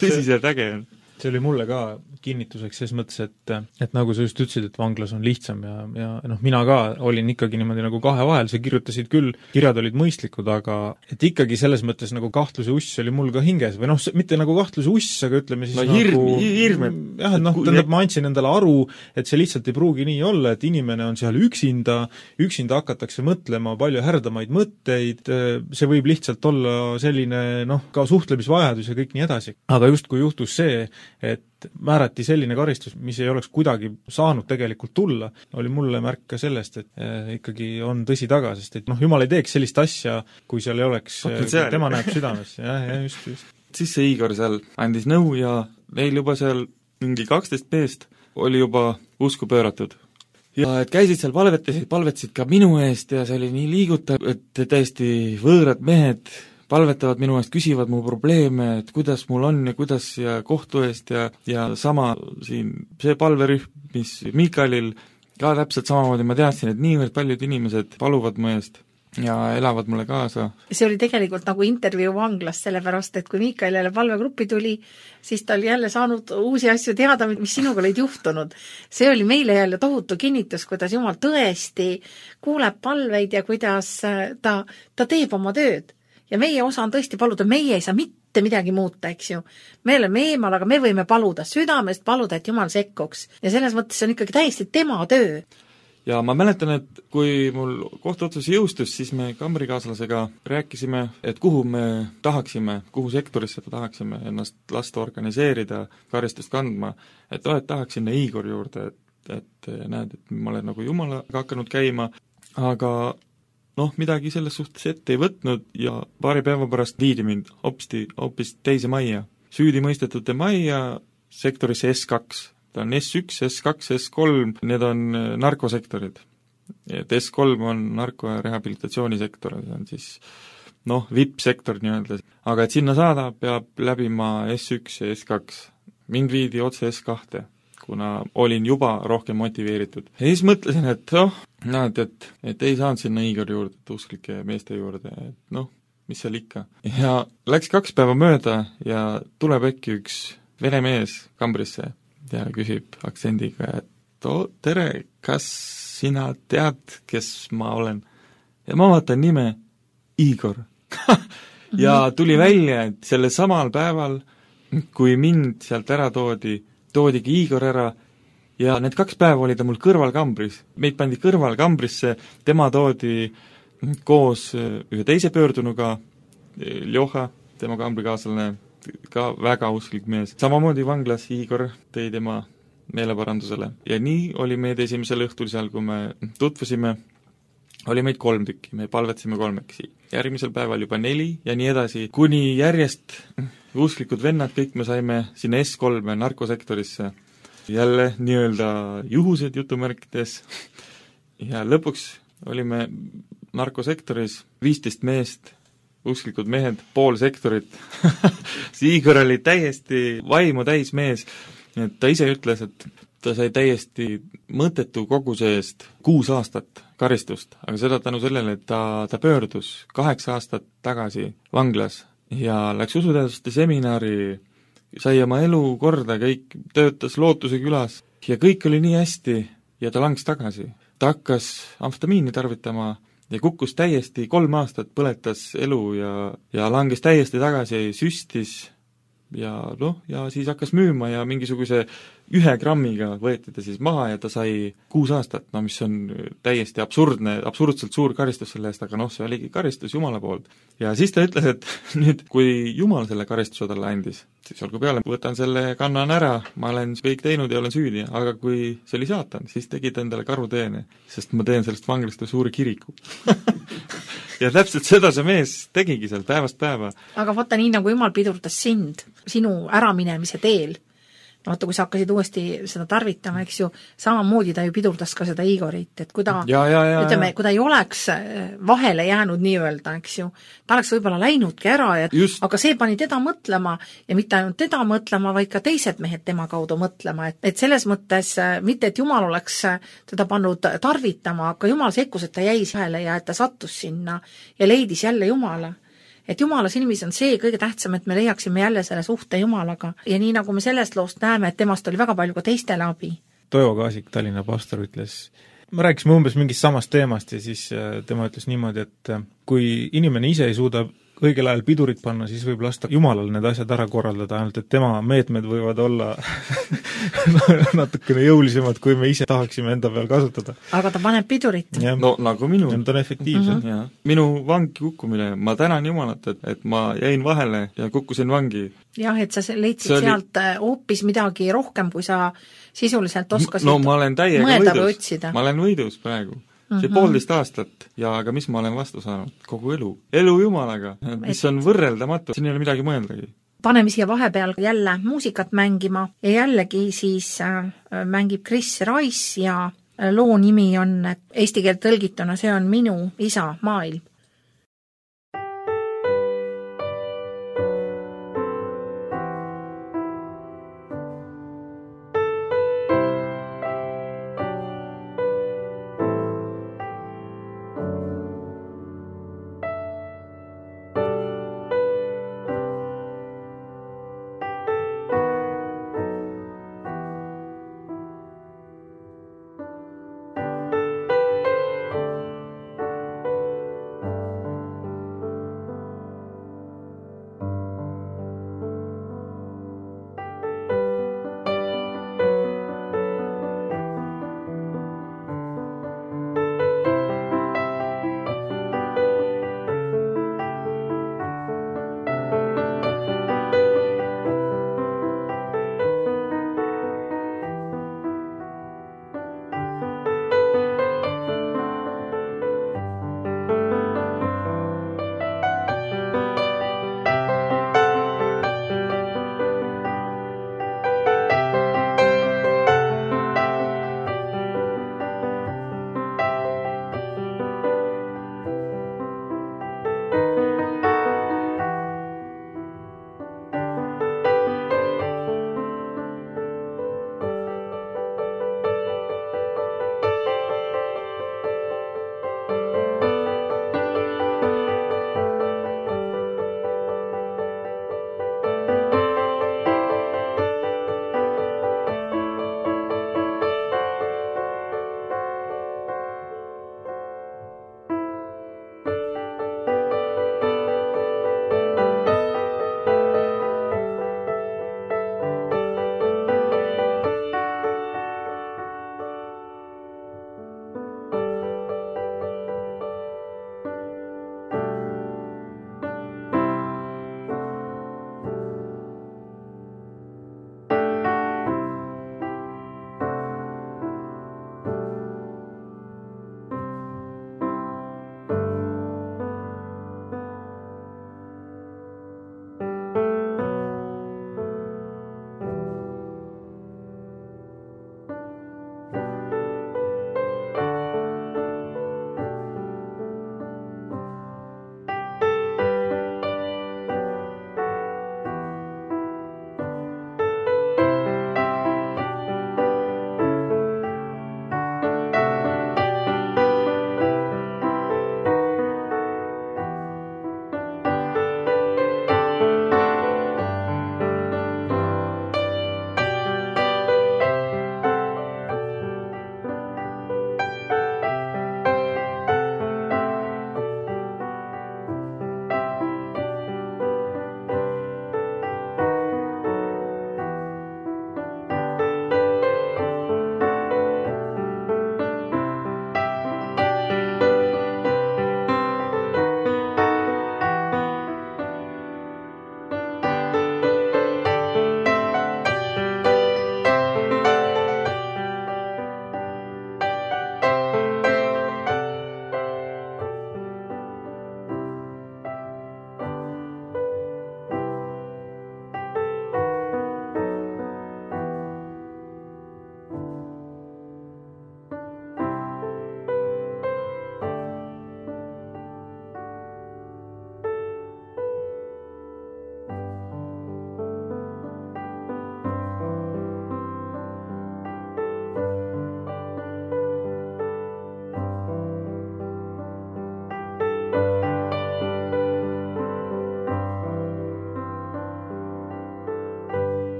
[SPEAKER 1] tõsiselt äge on.
[SPEAKER 3] See oli mulle ka kinnituseks selles mõttes, et, et nagu sa just ütlesid, et vanglas on lihtsam ja, ja noh, mina ka olin ikkagi niimoodi nagu kahe vahel, sa kirjutasid küll, kirjad olid mõistlikud, aga et ikkagi selles mõttes nagu kahtluse uss oli mul ka hinges või noh, mitte nagu kahtluse uss, aga ütleme siis
[SPEAKER 1] no,
[SPEAKER 3] nagu
[SPEAKER 1] hirm, hirm, et
[SPEAKER 3] jah, et noh, tähendab, ma andsin endale aru, et see lihtsalt ei pruugi nii olla, et inimene on seal üksinda, üksinda hakatakse mõtlema palju härdamaid mõtteid, see võib lihtsalt olla selline noh, ka suhtlemisvajadus ja kõik nii edasi. Aga just kui juhtus see, et määrati selline karistus, mis ei oleks kuidagi saanud tegelikult tulla, oli mulle märk ka sellest, et eh, ikkagi on tõsi taga, sest et noh, Jumal ei teeks sellist asja, kui seal ei oleks, tema näeb südames, jah, ja just, just.
[SPEAKER 1] Siis see Igor seal andis nõu ja neil juba seal mingi kaksteist meest oli juba usku pööratud. Ja et käisid seal palvetasid, palvetasid ka minu eest ja see oli nii liigutav, et täiesti võõrad mehed palvetavad minu eest, küsivad mu probleeme, et kuidas mul on ja kuidas ja kohtu eest ja, ja sama siin see palverühm, mis Miikaelil ka täpselt samamoodi, ma teadsin, et niivõrd paljud inimesed paluvad mu eest ja elavad mulle kaasa.
[SPEAKER 2] See oli tegelikult nagu intervjuu vanglas, sellepärast, et kui Miikael jälle palvegruppi tuli, siis ta oli jälle saanud uusi asju teada, mis sinuga olid juhtunud. See oli meile jälle tohutu kinnitus, kuidas Jumal tõesti kuuleb palveid ja kuidas ta, ta teeb oma tööd. Ja meie osa on tõesti paluda, meie ei saa mitte midagi muuta, eks ju. Me oleme eemal, aga me võime paluda, südamest paluda, et Jumal sekkuks. Ja selles mõttes see on ikkagi täiesti tema töö.
[SPEAKER 1] Ja ma mäletan, et kui mul kohtuotsus jõustus, siis me kambrikaaslasega rääkisime, et kuhu me tahaksime, kuhu sektorisse tahaksime ennast lasta organiseerida, karistust kandma, et oh, et tahaks sinna Igor juurde, et, et näed, et ma olen nagu Jumalaga hakanud käima, aga noh, midagi selles suhtes ette ei võtnud ja paari päeva pärast viidi mind hopsti, hoopis teise majja. Süüdi mõistetute majja sektorisse S kaks. Ta on S üks, S kaks, S kolm, need on narkosektorid. Et S kolm on narko- ja rehabilitatsioonisektor, see on siis noh, V I P-sektor nii-öelda. Aga et sinna saada, peab läbima S üks ja S kaks. mind viidi otse S kahte, kuna olin juba rohkem motiveeritud. ja siis mõtlesin, et noh, näed, et, et ei saanud sinna Igor juurde, usklike meeste juurde, et noh, mis seal ikka. ja läks kaks päeva mööda ja tuleb äkki üks vene mees kambrisse ja küsib aktsendiga, et oo, tere, kas sina tead, kes ma olen? ja ma vaatan nime Igor. ja tuli välja, et sellel samal päeval, kui mind sealt ära toodi, toodigi Igor ära ja need kaks päeva oli ta mul kõrvalkambris. Meid pandi kõrvalkambrisse, tema toodi koos ühe teise pöördunuga, Ljoha, tema kambrikaaslane, ka väga usklik mees. samamoodi vanglas Igor tõi tema meeleparandusele. ja nii oli meid esimesel õhtul seal, kui me tutvusime, oli meid kolm tükki, me palvetasime kolmekesi. Järgmisel päeval juba neli ja nii edasi, kuni järjest usklikud vennad, kõik me saime sinna S kolme narkosektorisse. Jälle nii-öelda juhused jutumärkides ja lõpuks olime narkosektoris viisteist meest, usklikud mehed, pool sektorit see Igor oli täiesti vaimu täis mees, et ta ise ütles, et ta sai täiesti mõttetu koguse eest kuus aastat karistust, aga seda tänu sellele, et ta, ta pöördus kaheksa aastat tagasi vanglas ja läks usuteaduste seminari, sai oma elu korda, kõik töötas Lootuse külas ja kõik oli nii hästi ja ta langes tagasi. ta hakkas amfetamiini tarvitama ja kukkus täiesti, kolm aastat põletas elu ja, ja langes täiesti tagasi, süstis ja noh, ja siis hakkas müüma ja mingisuguse ühe grammiga võeti ta siis maha ja ta sai kuus aastat, no mis on täiesti absurdne, absurdselt suur karistus selle eest, aga noh, see oligi karistus Jumala poolt. ja siis ta ütles, et nüüd, kui Jumal selle karistuse talle andis, siis olgu peale, võtan selle, kannan ära, ma olen kõik teinud ja olen süüdi, aga kui see oli saatan, siis tegi ta endale karuteene, sest ma teen sellest vanglast suure kiriku ja täpselt seda see mees tegigi seal päevast päeva.
[SPEAKER 2] aga vaata, nii nagu Jumal pidurdas sind, sinu äraminemise teel, no vaata, kui sa hakkasid uuesti seda tarvitama, eks ju, samamoodi ta ju pidurdas ka seda Igorit, et kui ta,
[SPEAKER 1] ja, ja, ja,
[SPEAKER 2] ütleme,
[SPEAKER 1] ja.
[SPEAKER 2] kui ta ei oleks vahele jäänud nii-öelda, eks ju, ta oleks võib-olla läinudki ära, ja, aga see pani teda mõtlema ja mitte ainult teda mõtlema, vaid ka teised mehed tema kaudu mõtlema, et, et selles mõttes mitte, et Jumal oleks teda pannud tarvitama, aga Jumal sekkus, et ta jäi vahele ja et ta sattus sinna ja leidis jälle Jumala. Et Jumala silmis on see kõige tähtsam, et me leiaksime jälle selle suhte Jumalaga ja nii nagu me sellest loost näeme, et temast oli väga palju ka teistele abi.
[SPEAKER 3] Toivo Kaasik, Tallinna pastor, ütles, me rääkisime umbes mingist samast teemast ja siis tema ütles niimoodi, et kui inimene ise ei suuda õigel ajal pidurit panna, siis võib lasta Jumalal need asjad ära korraldada, ainult et tema meetmed võivad olla natukene jõulisemad, kui me ise tahaksime enda peal kasutada.
[SPEAKER 2] aga ta paneb pidurit.
[SPEAKER 1] no nagu minu.
[SPEAKER 3] Ta on efektiivsed.
[SPEAKER 1] Mm -hmm. Minu vangi kukkumine, ma tänan Jumalat, et, et ma jäin vahele ja kukkusin vangi.
[SPEAKER 2] jah, et sa leidsid
[SPEAKER 1] oli...
[SPEAKER 2] sealt hoopis midagi rohkem, kui sa sisuliselt oskasid
[SPEAKER 1] no ma olen täiega
[SPEAKER 2] mõelda
[SPEAKER 1] võidus.
[SPEAKER 2] või otsida.
[SPEAKER 1] Ma olen võidus praegu. see mm -hmm. poolteist aastat ja aga mis ma olen vastu saanud? Kogu elu. Elu Jumalaga, mis on võrreldamatu, siin ei ole midagi mõeldagi.
[SPEAKER 2] Paneme siia vahepeal jälle muusikat mängima ja jällegi siis äh, mängib Chris Rice ja loo nimi on, eesti keelt tõlgituna, see on Minu isa maailm.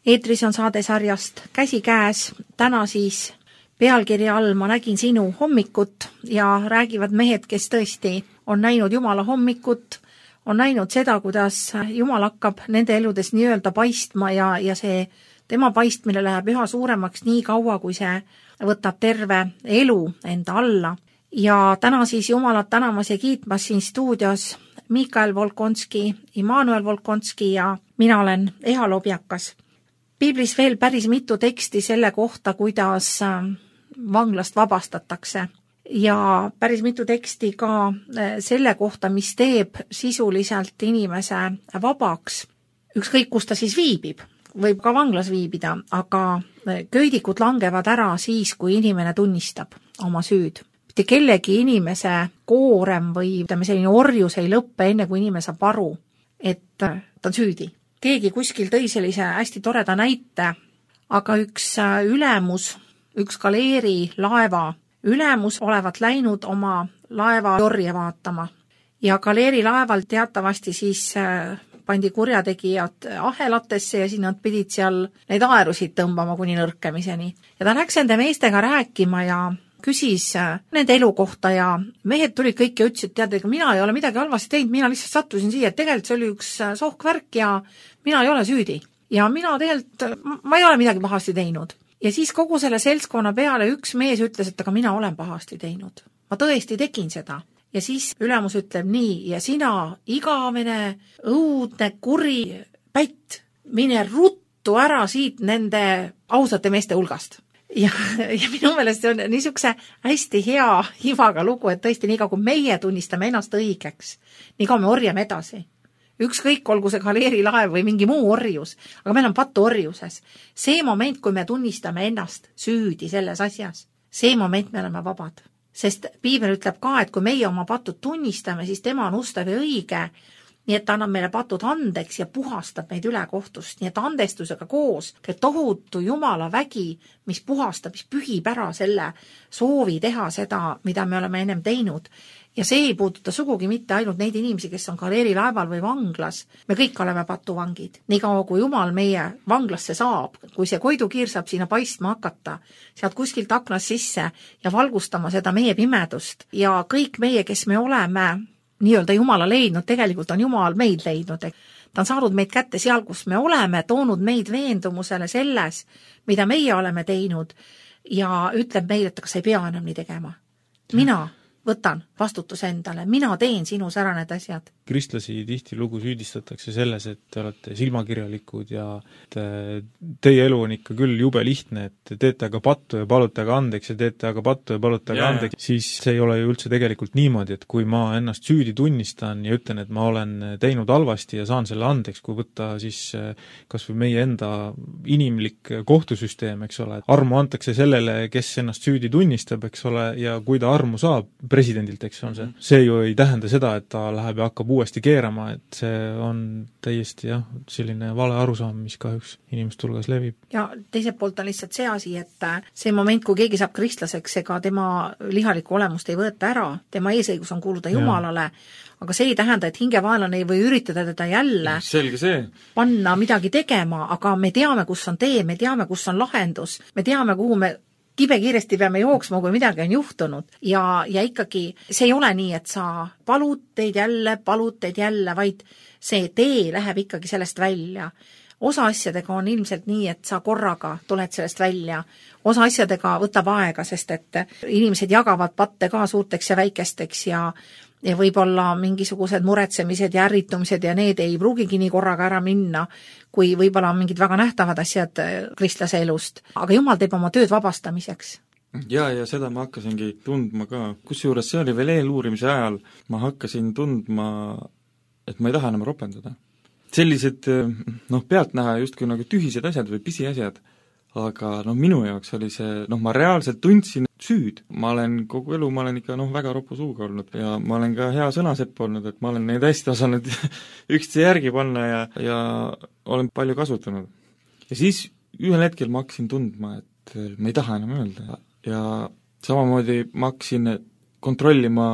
[SPEAKER 2] eetris on saade sarjast Käsi käes, täna siis pealkirja all Ma nägin sinu hommikut ja räägivad mehed, kes tõesti on näinud Jumala hommikut, on näinud seda, kuidas Jumal hakkab nende eludes nii-öelda paistma ja, ja see tema paistmine läheb üha suuremaks nii kaua, kui see võtab terve elu enda alla. Ja täna siis Jumalat tänamas ja kiitmas siin stuudios Mikael Volkonski, Immanuel Volkonski ja mina olen Eha Lobjakas. Piiblis veel päris mitu teksti selle kohta, kuidas vanglast vabastatakse ja päris mitu teksti ka selle kohta, mis teeb sisuliselt inimese vabaks. Ükskõik, kus ta siis viibib, võib ka vanglas viibida, aga köidikud langevad ära siis, kui inimene tunnistab oma süüd. Mitte kellegi inimese koorem või ütleme, selline orjus ei lõppe enne, kui inimene saab aru, et ta on süüdi. Keegi kuskil tõi sellise hästi toreda näite, aga üks ülemus, üks galeeri laeva ülemus olevat läinud oma laeva jorje vaatama. Ja galeeri laeval teatavasti siis pandi kurjategijad ahelatesse ja siin nad pidid seal neid aerusid tõmbama kuni nõrkemiseni. Ja ta läks enda meestega rääkima ja küsis nende elu kohta ja mehed tulid kõik ja ütlesid, tead, ega mina ei ole midagi halvasti teinud, mina lihtsalt sattusin siia, et tegelikult see oli üks sohkvärk ja mina ei ole süüdi. Ja mina tegelikult, ma ei ole midagi pahasti teinud. Ja siis kogu selle seltskonna peale üks mees ütles, et aga mina olen pahasti teinud. Ma tõesti tegin seda. Ja siis ülemus ütleb nii, ja sina igavene, õudne, kuri pätt, mine ruttu ära siit nende ausate meeste hulgast. Ja, ja minu meelest see on niisuguse hästi hea hivaga lugu, et tõesti nii kaua, kui meie tunnistame ennast õigeks, nii kaua me orjame edasi. Ükskõik, olgu see galeeri laev või mingi muu orjus, aga meil on pattu orjuses. See moment, kui me tunnistame ennast süüdi selles asjas, see moment me oleme vabad. Sest Piibel ütleb ka, et kui meie oma patud tunnistame, siis tema on ustav ja õige, nii et ta annab meile patud andeks ja puhastab meid üle kohtust. Nii et andestusega koos käib tohutu Jumala vägi, mis puhastab, mis pühib ära selle soovi teha seda, mida me oleme ennem teinud. Ja see ei puuduta sugugi mitte ainult neid inimesi, kes on galeeri laeval või vanglas. Me kõik oleme patuvangid. Nii kaua, kui Jumal meie vanglasse saab, kui see koidukiir saab sinna paistma hakata, sealt kuskilt aknast sisse ja valgustama seda meie pimedust. Ja kõik meie, kes me oleme nii-öelda Jumala leidnud, tegelikult on Jumal meid leidnud. Ta on saanud meid kätte seal, kus me oleme, toonud meid veendumusele selles, mida meie oleme teinud ja ütleb meile, et kas ei pea enam nii tegema. Mina võtan vastutuse endale, mina teen sinus ära need asjad.
[SPEAKER 3] Kristlasi tihti lugu süüdistatakse selles, et te olete silmakirjalikud ja te, teie elu on ikka küll jube lihtne, et teete aga pattu ja palute aga andeks ja teete aga pattu ja palute aga yeah. andeks, siis see ei ole ju üldse tegelikult niimoodi, et kui ma ennast süüdi tunnistan ja ütlen, et ma olen teinud halvasti ja saan selle andeks, kui võtta siis kas või meie enda inimlik kohtusüsteem, eks ole, armu antakse sellele, kes ennast süüdi tunnistab, eks ole, ja kui ta armu saab, presidendilt, eks on see. See ju ei tähenda seda, et ta läheb ja hakkab uuesti keerama, et see on täiesti jah, selline vale arusaam, mis kahjuks inimeste hulgas levib.
[SPEAKER 2] Ja teiselt poolt on lihtsalt see asi, et see moment, kui keegi saab kristlaseks, ega tema lihalikku olemust ei võeta ära, tema eesõigus on kuuluda Jumalale, aga see ei tähenda, et hingevaenlane ei või üritada teda jälle
[SPEAKER 1] selge see.
[SPEAKER 2] Panna midagi tegema, aga me teame, kus on tee, me teame, kus on lahendus, me teame, kuhu me kibe kiiresti peame jooksma, kui midagi on juhtunud. Ja, ja ikkagi see ei ole nii, et sa palud teid jälle, palud teid jälle, vaid see tee läheb ikkagi sellest välja. Osa asjadega on ilmselt nii, et sa korraga tuled sellest välja. Osa asjadega võtab aega, sest et inimesed jagavad patte ka suurteks ja väikesteks ja ja võib-olla mingisugused muretsemised ja ärritumised ja need ei pruugigi nii korraga ära minna, kui võib-olla mingid väga nähtavad asjad kristlase elust. Aga Jumal teeb oma tööd vabastamiseks.
[SPEAKER 1] Ja, ja seda ma hakkasingi tundma ka. Kusjuures see oli veel eeluurimise ajal. Ma hakkasin tundma, et ma ei taha enam ropendada. Sellised, noh, pealt näha justkui nagu tühised asjad või pisiasjad. Aga noh, minu jaoks oli see, noh, ma reaalselt tundsin süüd. Ma olen kogu elu, ma olen ikka noh, väga ropu suuga olnud ja ma olen ka hea sõnasepp olnud, et ma olen neid hästi osanud üksteise järgi panna ja, ja olen palju kasutanud. Ja siis ühel hetkel ma hakkasin tundma, et ma ei taha enam öelda ja samamoodi ma hakkasin kontrollima,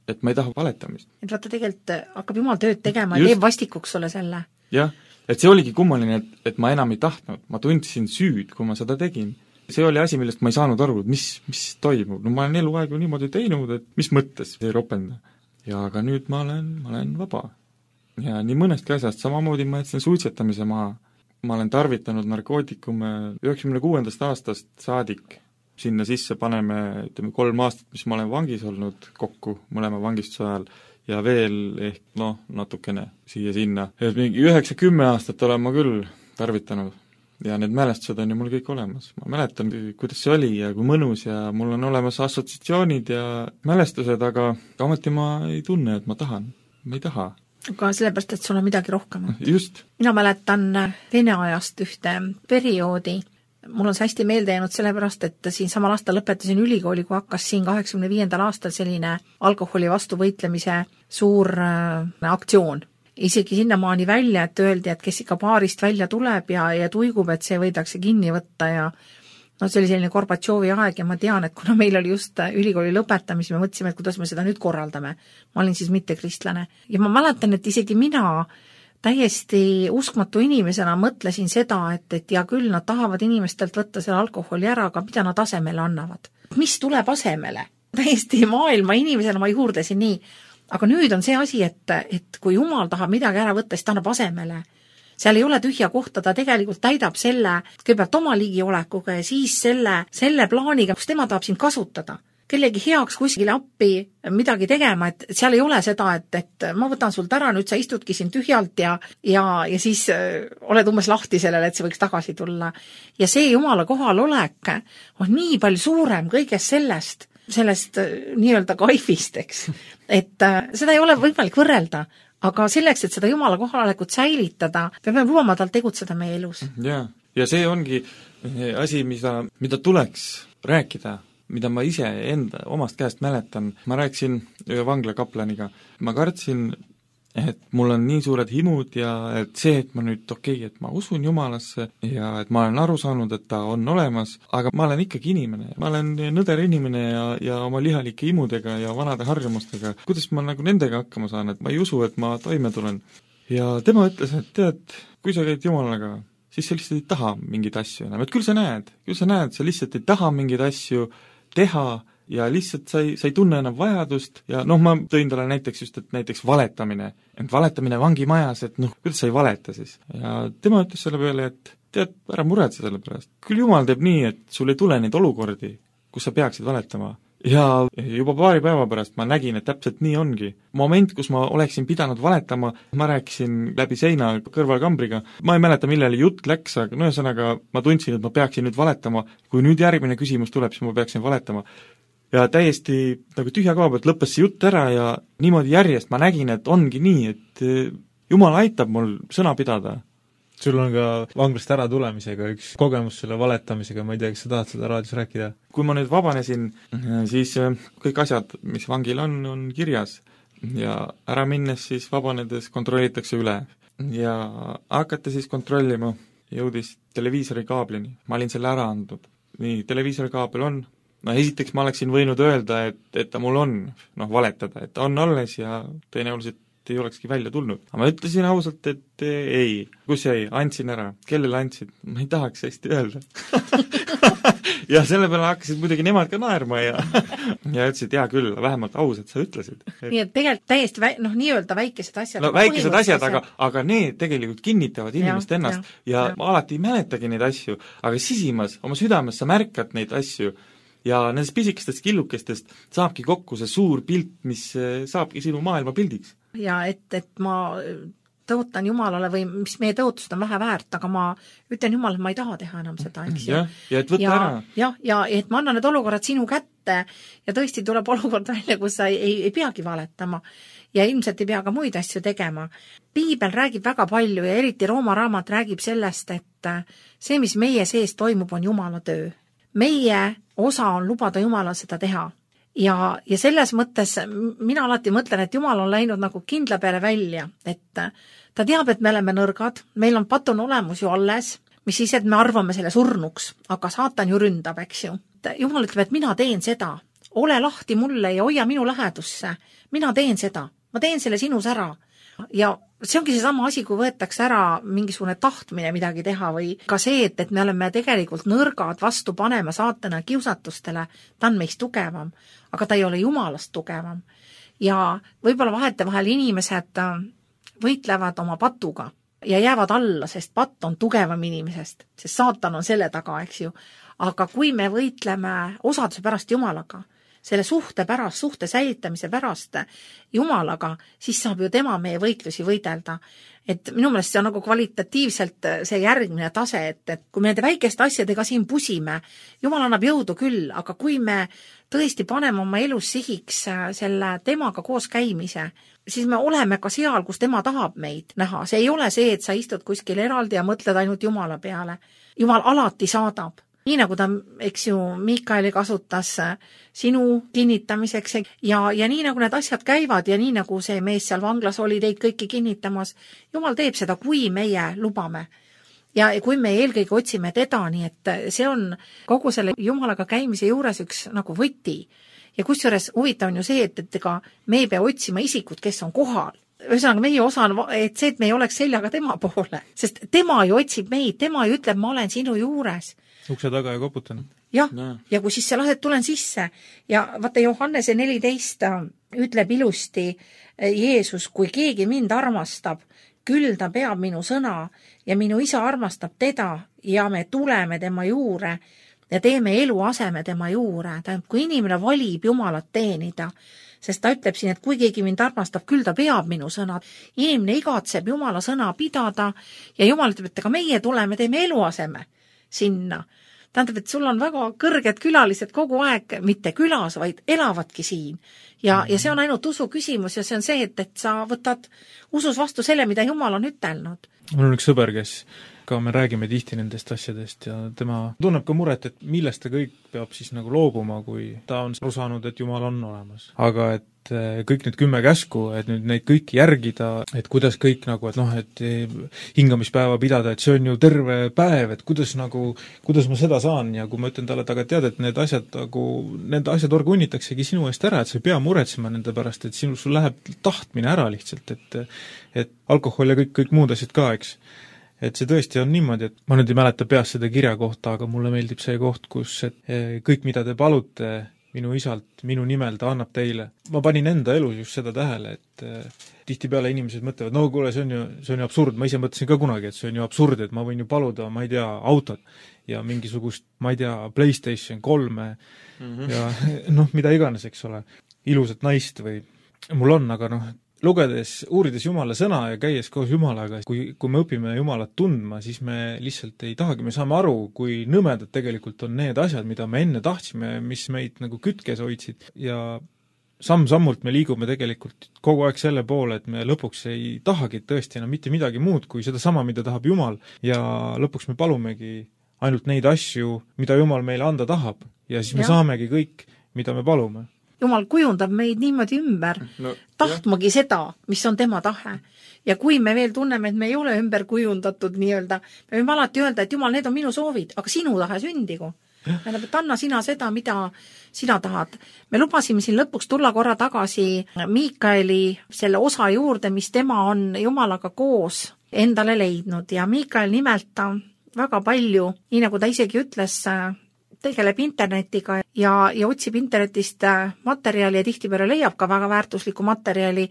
[SPEAKER 1] et ma ei taha valetamist.
[SPEAKER 2] Et vaata, tegelikult hakkab Jumal tööd tegema ja teeb vastikuks sulle selle.
[SPEAKER 1] Jah, et see oligi kummaline, et, et ma enam ei tahtnud, ma tundsin süüd, kui ma seda tegin. See oli asi, millest ma ei saanud aru, et mis, mis toimub. No ma olen eluaegu niimoodi teinud, et mis mõttes ei ropenda. Ja aga nüüd ma olen, ma olen vaba. Ja nii mõnestki asjast, samamoodi ma jätsin suitsetamise maha. Ma olen tarvitanud narkootikume üheksakümne kuuendast aastast saadik. Sinna sisse paneme, ütleme, kolm aastat, mis ma olen vangis olnud kokku mõlema vangistuse ajal ja veel ehk, noh, natukene siia-sinna. Et mingi üheksa-kümme aastat olen ma küll tarvitanud ja need mälestused on ju mul kõik olemas. Ma mäletan, kuidas see oli ja kui mõnus ja mul on olemas assotsiatsioonid ja mälestused, aga ometi ma ei tunne, et ma tahan. Ma ei taha.
[SPEAKER 2] Aga sellepärast, et sul on midagi rohkem.
[SPEAKER 1] Just.
[SPEAKER 2] Mina mäletan Vene ajast ühte perioodi. Mul on see hästi meelde jäänud sellepärast, et siin samal aastal lõpetasin ülikooli, kui hakkas siin kaheksakümne viiendal aastal selline alkoholi vastu võitlemise suur äh, aktsioon. Isegi sinnamaani välja, et öeldi, et kes ikka baarist välja tuleb ja, ja tuigub, et see võidakse kinni võtta ja no see oli selline Gorbatšovi aeg ja ma tean, et kuna meil oli just ülikooli lõpetamis, me mõtlesime, et kuidas me seda nüüd korraldame. Ma olin siis mitte kristlane. Ja ma mäletan, et isegi mina täiesti uskmatu inimesena mõtlesin seda, et, et ja küll nad tahavad inimestelt võtta selle alkoholi ära, aga mida nad asemele annavad. Mis tuleb asemele? Täiesti maailma inimesena ma juurdesin nii. Aga nüüd on see asi, et, et kui Jumal tahab midagi ära võtta, siis ta annab asemele. Seal ei ole tühja kohta, ta tegelikult täidab selle kõigepealt oma ligiolekuga ja siis selle, selle plaaniga, kus tema tahab sind kasutada. Kellegi heaks kuskile appi midagi tegema, et seal ei ole seda, et, et ma võtan sult ära, nüüd sa istudki siin tühjalt ja, ja, ja siis oled umbes lahti sellele, et see võiks tagasi tulla. Ja see Jumala kohalolek on nii palju suurem kõigest sellest, sellest nii-öelda kaifist, eks. Et seda ei ole võimalik võrrelda, aga selleks, et seda Jumala kohalolekut säilitada, peame lubama tal tegutseda meie elus.
[SPEAKER 1] Ja, ja see ongi asi, mida, mida tuleks rääkida, mida ma ise enda omast käest mäletan. Ma rääkisin ühe vangla kaplaniga. Ma kartsin, et mul on nii suured himud ja et see, et ma nüüd okei, okay, et ma usun Jumalasse ja et ma olen aru saanud, et ta on olemas, aga ma olen ikkagi inimene. Ma olen nõder inimene ja, ja oma lihalike himudega ja vanade harjumustega. Kuidas ma nagu nendega hakkama saan, et ma ei usu, et ma toime tulen. Ja tema ütles, et tead, kui sa käid Jumalaga, siis sa lihtsalt ei taha mingeid asju enam. Et küll sa näed, küll sa näed, sa lihtsalt ei taha mingeid asju teha ja lihtsalt sa ei, sa ei tunne enam vajadust ja noh, ma tõin talle näiteks just, et näiteks valetamine, et valetamine vangimajas, et noh, kuidas sa ei valeta siis. Ja tema ütles selle peale, et tead, ära muretse selle pärast. Küll Jumal teeb nii, et sul ei tule neid olukordi, kus sa peaksid valetama. Ja juba paari päeva pärast ma nägin, et täpselt nii ongi. Moment, kus ma oleksin pidanud valetama, ma rääkisin läbi seina kõrvalkambriga, ma ei mäleta, millele jutt läks, aga no ühesõnaga ma tundsin, et ma peaksin nüüd valetama, kui nüüd järgmine küsimus tuleb, siis ma peaksin valetama. Ja täiesti nagu tühja koha pealt lõppes see jutt ära ja niimoodi järjest ma nägin, et ongi nii, et Jumal aitab mul sõna pidada.
[SPEAKER 3] Sul on ka vanglast ära tulemisega üks kogemus selle valetamisega, ma ei tea, kas sa tahad seda raadios rääkida?
[SPEAKER 1] Kui ma nüüd vabanesin, siis kõik asjad, mis vangil on, on kirjas ja ära minnes siis vabanedes kontrollitakse üle ja hakati siis kontrollima, jõudis televiisori kaablini, ma olin selle ära andnud. Nii, televiisori kaabel on, no esiteks ma oleksin võinud öelda, et, et ta mul on, noh, valetada, et ta on alles ja tõenäoliselt ei olekski välja tulnud. Aga ma ütlesin ausalt, et ei. Kus jäi? Andsin ära. Kellele andsid? Ma ei tahaks hästi öelda. ja selle peale hakkasid muidugi nemad ka naerma ja, ja ütlesid, hea küll, vähemalt ausalt sa ütlesid. Et...
[SPEAKER 2] nii et tegelikult täiesti väi, noh, nii-öelda väikesed asjad.
[SPEAKER 1] No väikesed asjad, aga, aga need tegelikult kinnitavad inimest ja, ennast ja, ja, ja ma alati ei mäletagi neid asju, aga sisimas, oma südames sa märkad neid asju ja nendest pisikestest killukestest saabki kokku see suur pilt, mis saabki sinu maailma pildiks.
[SPEAKER 2] Ja et, et ma tõotan Jumalale või mis meie tõotused on vähe väärt, aga ma ütlen Jumal, et ma ei taha teha enam seda, eks ju.
[SPEAKER 1] Ja, ja et võtta
[SPEAKER 2] ja,
[SPEAKER 1] ära.
[SPEAKER 2] Ja, ja et ma annan need olukorrad sinu kätte ja tõesti tuleb olukord välja, kus sa ei, ei, ei peagi valetama ja ilmselt ei pea ka muid asju tegema. Piibel räägib väga palju ja eriti Rooma raamat räägib sellest, et see, mis meie sees toimub, on Jumala töö. Meie osa on lubada Jumalal seda teha. Ja, ja selles mõttes mina alati mõtlen, et Jumal on läinud nagu kindla peale välja, et ta teab, et me oleme nõrgad, meil on patun olemus ju alles, mis siis, et me arvame selle surnuks, aga saatan ju ründab, eks ju. Jumal ütleb, et mina teen seda, ole lahti mulle ja hoia minu lähedusse, mina teen seda, ma teen selle sinus ära. ja see ongi seesama asi, kui võetakse ära mingisugune tahtmine midagi teha või ka see, et, et me oleme tegelikult nõrgad vastu panema saatana kiusatustele, ta on meist tugevam, aga ta ei ole Jumalast tugevam. Ja võib-olla vahetevahel inimesed võitlevad oma patuga ja jäävad alla, sest patt on tugevam inimesest, sest saatan on selle taga, eks ju. Aga kui me võitleme osaduse pärast Jumalaga, selle suhte pärast, suhte säilitamise pärast Jumalaga, siis saab ju tema meie võitlusi võidelda. Et minu meelest see on nagu kvalitatiivselt see järgmine tase, et, et kui me nende väikeste asjadega siin pusime, Jumal annab jõudu küll, aga kui me tõesti paneme oma elus sihiks selle temaga koos käimise, siis me oleme ka seal, kus tema tahab meid näha. See ei ole see, et sa istud kuskil eraldi ja mõtled ainult Jumala peale. Jumal alati saadab. Nii nagu ta, eks ju, Miikaeli kasutas sinu kinnitamiseks ja, ja nii nagu need asjad käivad ja nii nagu see mees seal vanglas oli teid kõiki kinnitamas, Jumal teeb seda, kui meie lubame. Ja kui me eelkõige otsime teda, nii et see on kogu selle Jumalaga käimise juures üks nagu võti. Ja kusjuures huvitav on ju see, et, et ega me ei pea otsima isikut, kes on kohal. Ühesõnaga meie osa on, et see, et me ei oleks seljaga tema poole, sest tema ju otsib meid, tema ju ütleb, ma olen sinu juures.
[SPEAKER 3] Ukse taga ja koputan.
[SPEAKER 2] Jah, ja. ja kui siis sa lased, tulen sisse. Ja vaata Johannese neliteist ütleb ilusti Jeesus, kui keegi mind armastab, küll ta peab minu sõna ja minu isa armastab teda ja me tuleme tema juure ja teeme eluaseme tema juure. Tähendab, kui inimene valib Jumalat teenida, sest ta ütleb siin, et kui keegi mind armastab, küll ta peab minu sõna. Inimene igatseb Jumala sõna pidada ja Jumal ütleb, et ka meie tuleme, teeme eluaseme sinna. Tähendab, et sul on väga kõrged külalised kogu aeg, mitte külas, vaid elavadki siin. Ja, ja see on ainult usu küsimus ja see on see, et, et sa võtad usus vastu selle, mida Jumal on ütelnud.
[SPEAKER 3] Mul on üks sõber, kes ka me räägime tihti nendest asjadest ja tema tunneb ka muret, et millest ta kõik peab siis nagu loobuma, kui ta on aru saanud, et Jumal on olemas. Aga et kõik need kümme käsku, et nüüd neid kõiki järgida, et kuidas kõik nagu, et noh, et hingamispäeva pidada, et see on ju terve päev, et kuidas nagu, kuidas ma seda saan ja kui ma ütlen talle, et aga tead, et need asjad nagu, need asjad organitaksegi sinu eest ära, et sa ei pea muretsema nende pärast, et sinu, sul läheb tahtmine ära lihtsalt, et et alkohol ja kõik, kõik muud asjad ka, eks. Et see tõesti on niimoodi, et ma nüüd ei mäleta peast seda kirja kohta, aga mulle meeldib see koht, kus et kõik, mida te palute minu isalt, minu nimel ta annab teile. Ma panin enda elus just seda tähele, et eh, tihtipeale inimesed mõtlevad, no kuule, see on ju, see on ju absurd, ma ise mõtlesin ka kunagi, et see on ju absurd, et ma võin ju paluda, ma ei tea, autot ja mingisugust, ma ei tea, PlayStation kolme mm-hmm. ja noh, mida iganes, eks ole, ilusat naist või mul on, aga noh, lugedes, uurides Jumala sõna ja käies koos Jumalaga, kui, kui me õpime Jumalat tundma, siis me lihtsalt ei tahagi, me saame aru, kui nõmedad tegelikult on need asjad, mida me enne tahtsime, mis meid nagu kütkes hoidsid ja samm-sammult me liigume tegelikult kogu aeg selle poole, et me lõpuks ei tahagi tõesti enam mitte midagi muud kui seda sama, mida tahab Jumal ja lõpuks me palumegi ainult neid asju, mida Jumal meile anda tahab ja siis me ja. saamegi kõik, mida me palume.
[SPEAKER 2] Jumal kujundab meid niimoodi ümber, no, tahtmagi jah. seda, mis on tema tahe. Ja kui me veel tunneme, et me ei ole ümber kujundatud nii-öelda, me võime alati öelda, et Jumal, need on minu soovid, aga sinu tahe sündigu. Tähendab, et anna sina seda, mida sina tahad. Me lubasime siin lõpuks tulla korra tagasi Miikaeli selle osa juurde, mis tema on Jumalaga koos endale leidnud. Ja Miikael nimelt ta väga palju, nii nagu ta isegi ütles, tegeleb internetiga ja, ja otsib internetist materjali ja tihtipeale leiab ka väga väärtuslikku materjali.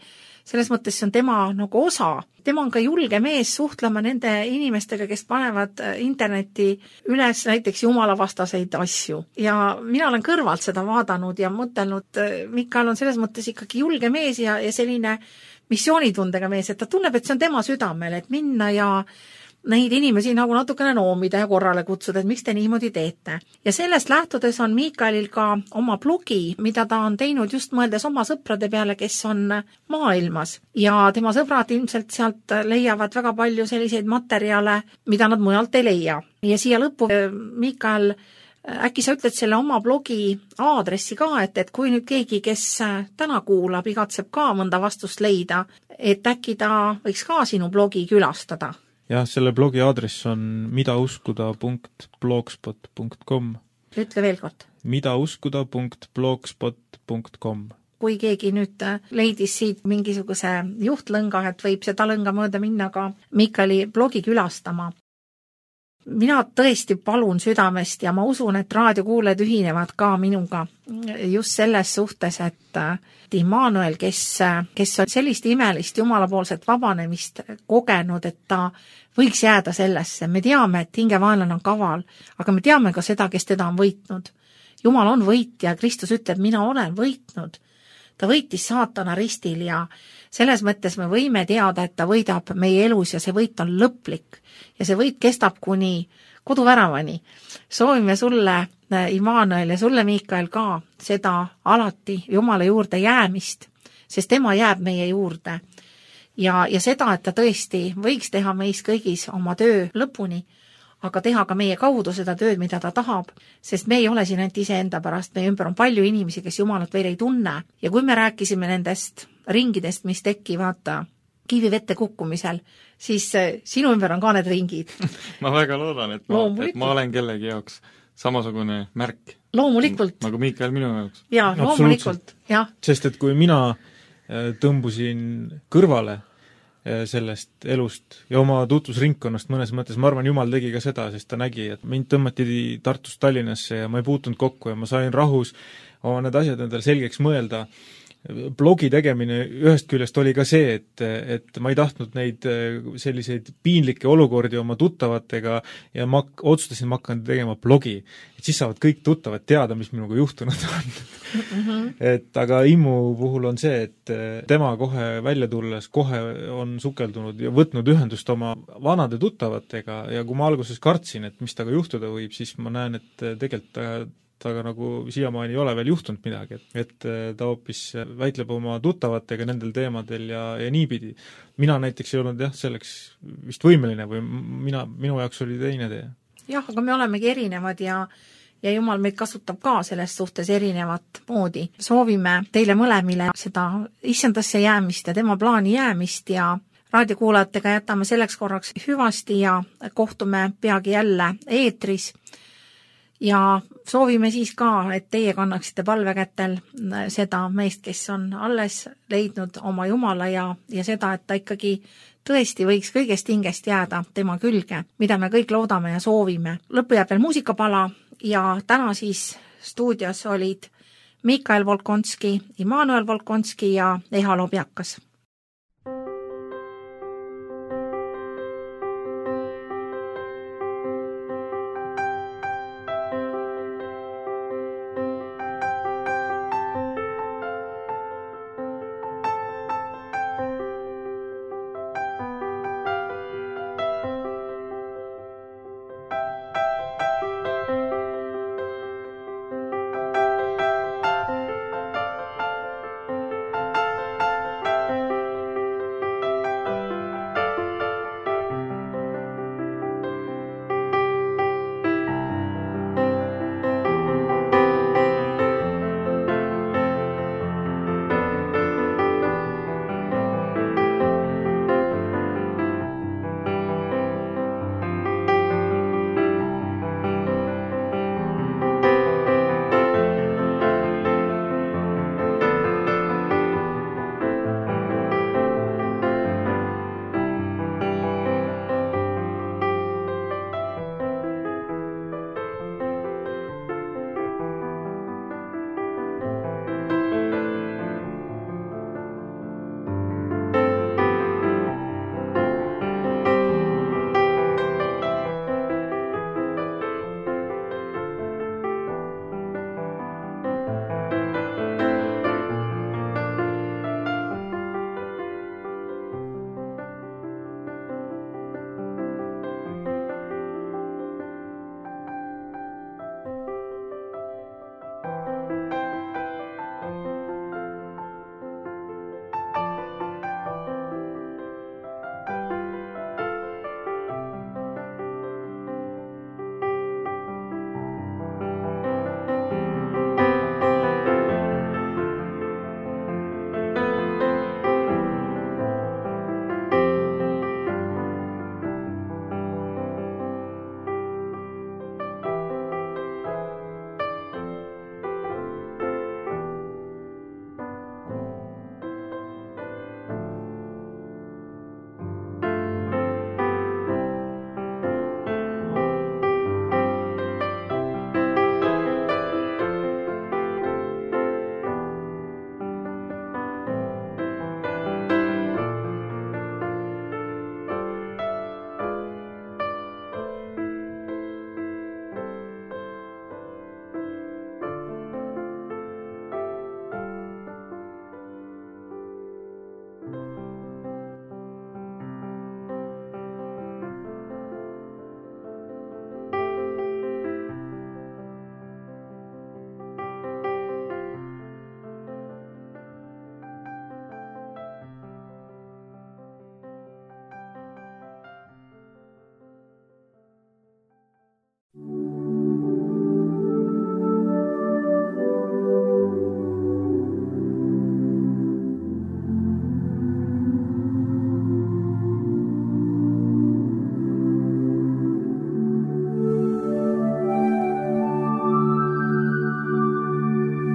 [SPEAKER 2] Selles mõttes see on tema nagu osa. Tema on ka julge mees suhtlema nende inimestega, kes panevad interneti üles näiteks jumalavastaseid asju. Ja mina olen kõrvalt seda vaadanud ja mõtelnud, Mikael on selles mõttes ikkagi julge mees ja, ja selline missioonitundega mees, et ta tunneb, et see on tema südamel, et minna ja neid inimesi nagu natukene noomida ja korrale kutsuda, et miks te niimoodi teete. Ja sellest lähtudes on Miikaelil ka oma blogi, mida ta on teinud just mõeldes oma sõprade peale, kes on maailmas. Ja tema sõbrad ilmselt sealt leiavad väga palju selliseid materjale, mida nad mujalt ei leia. Ja siia lõppu, Miikael, äkki sa ütled selle oma blogi aadressi ka, et, et kui nüüd keegi, kes täna kuulab, igatseb ka mõnda vastust leida, et äkki ta võiks ka sinu blogi külastada?
[SPEAKER 3] Jah, selle blogi aadress on midauskuda punkt blogspot punkt com.
[SPEAKER 2] Ütle veel kord.
[SPEAKER 3] midauskuda punkt blogspot punkt com.
[SPEAKER 2] kui keegi nüüd leidis siit mingisuguse juhtlõnga, et võib seda lõnga mööda minna ka Miikali blogi külastama. Mina tõesti palun südamest ja ma usun, et raadiokuulajad ühinevad ka minuga just selles suhtes, et Immanuel, kes, kes on sellist imelist jumalapoolset vabanemist kogenud, et ta võiks jääda sellesse. Me teame, et hingevaenlane on kaval, aga me teame ka seda, kes teda on võitnud. Jumal on võitja, Kristus ütleb, mina olen võitnud. Ta võitis saatana ristil ja selles mõttes me võime teada, et ta võidab meie elus ja see võit on lõplik. Ja see võit kestab kuni koduväravani. Soovime sulle, Immanuel, ja sulle, Miikael, ka seda alati Jumala juurde jäämist, sest tema jääb meie juurde. Ja, ja seda, et ta tõesti võiks teha meis kõigis oma töö lõpuni, aga teha ka meie kaudu seda tööd, mida ta tahab, sest me ei ole siin ainult iseenda pärast, meie ümber on palju inimesi, kes Jumalat veel ei tunne. Ja kui me rääkisime nendest ringidest, mis tekivad kivivette kukkumisel, siis sinu ümber on ka need ringid.
[SPEAKER 1] ma väga loodan, et ma, et ma olen kellegi jaoks samasugune märk.
[SPEAKER 2] Loomulikult.
[SPEAKER 1] Nagu Miikael minu jaoks.
[SPEAKER 2] Jaa, loomulikult, jah.
[SPEAKER 3] Sest et kui mina tõmbusin kõrvale sellest elust ja oma tutvusringkonnast mõnes mõttes, ma arvan, Jumal tegi ka seda, sest ta nägi, et mind tõmmati Tartust Tallinnasse ja ma ei puutunud kokku ja ma sain rahus oma need asjad endale selgeks mõelda. Blogi tegemine ühest küljest oli ka see, et, et ma ei tahtnud neid selliseid piinlikke olukordi oma tuttavatega ja ma otsustasin, ma hakkan tegema blogi. Et siis saavad kõik tuttavad teada, mis minuga juhtunud on. Mm-hmm. Et aga Immu puhul on see, et tema kohe välja tulles, kohe on sukeldunud ja võtnud ühendust oma vanade tuttavatega ja kui ma alguses kartsin, et mis taga juhtuda võib, siis ma näen, et tegelikult ta aga nagu siiamaani ei ole veel juhtunud midagi, et, et ta hoopis väitleb oma tuttavatega nendel teemadel ja, ja niipidi. Mina näiteks ei olnud jah, selleks vist võimeline või mina, minu jaoks oli teine tee.
[SPEAKER 2] Jah, aga me olemegi erinevad ja, ja Jumal meid kasutab ka selles suhtes erinevat moodi. Soovime teile mõlemile seda issandasse jäämist ja tema plaani jäämist ja raadiokuulajatega jätame selleks korraks hüvasti ja kohtume peagi jälle eetris. Ja soovime siis ka, et teie kannaksite palvekätel seda meest, kes on alles leidnud oma Jumala ja, ja seda, et ta ikkagi tõesti võiks kõigest hingest jääda tema külge, mida me kõik loodame ja soovime. Lõppu jääb veel muusikapala ja täna siis stuudios olid Miikael Volkonski, Immanuel Volkonski ja Eha Lobjakas.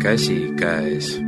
[SPEAKER 4] käsikäes.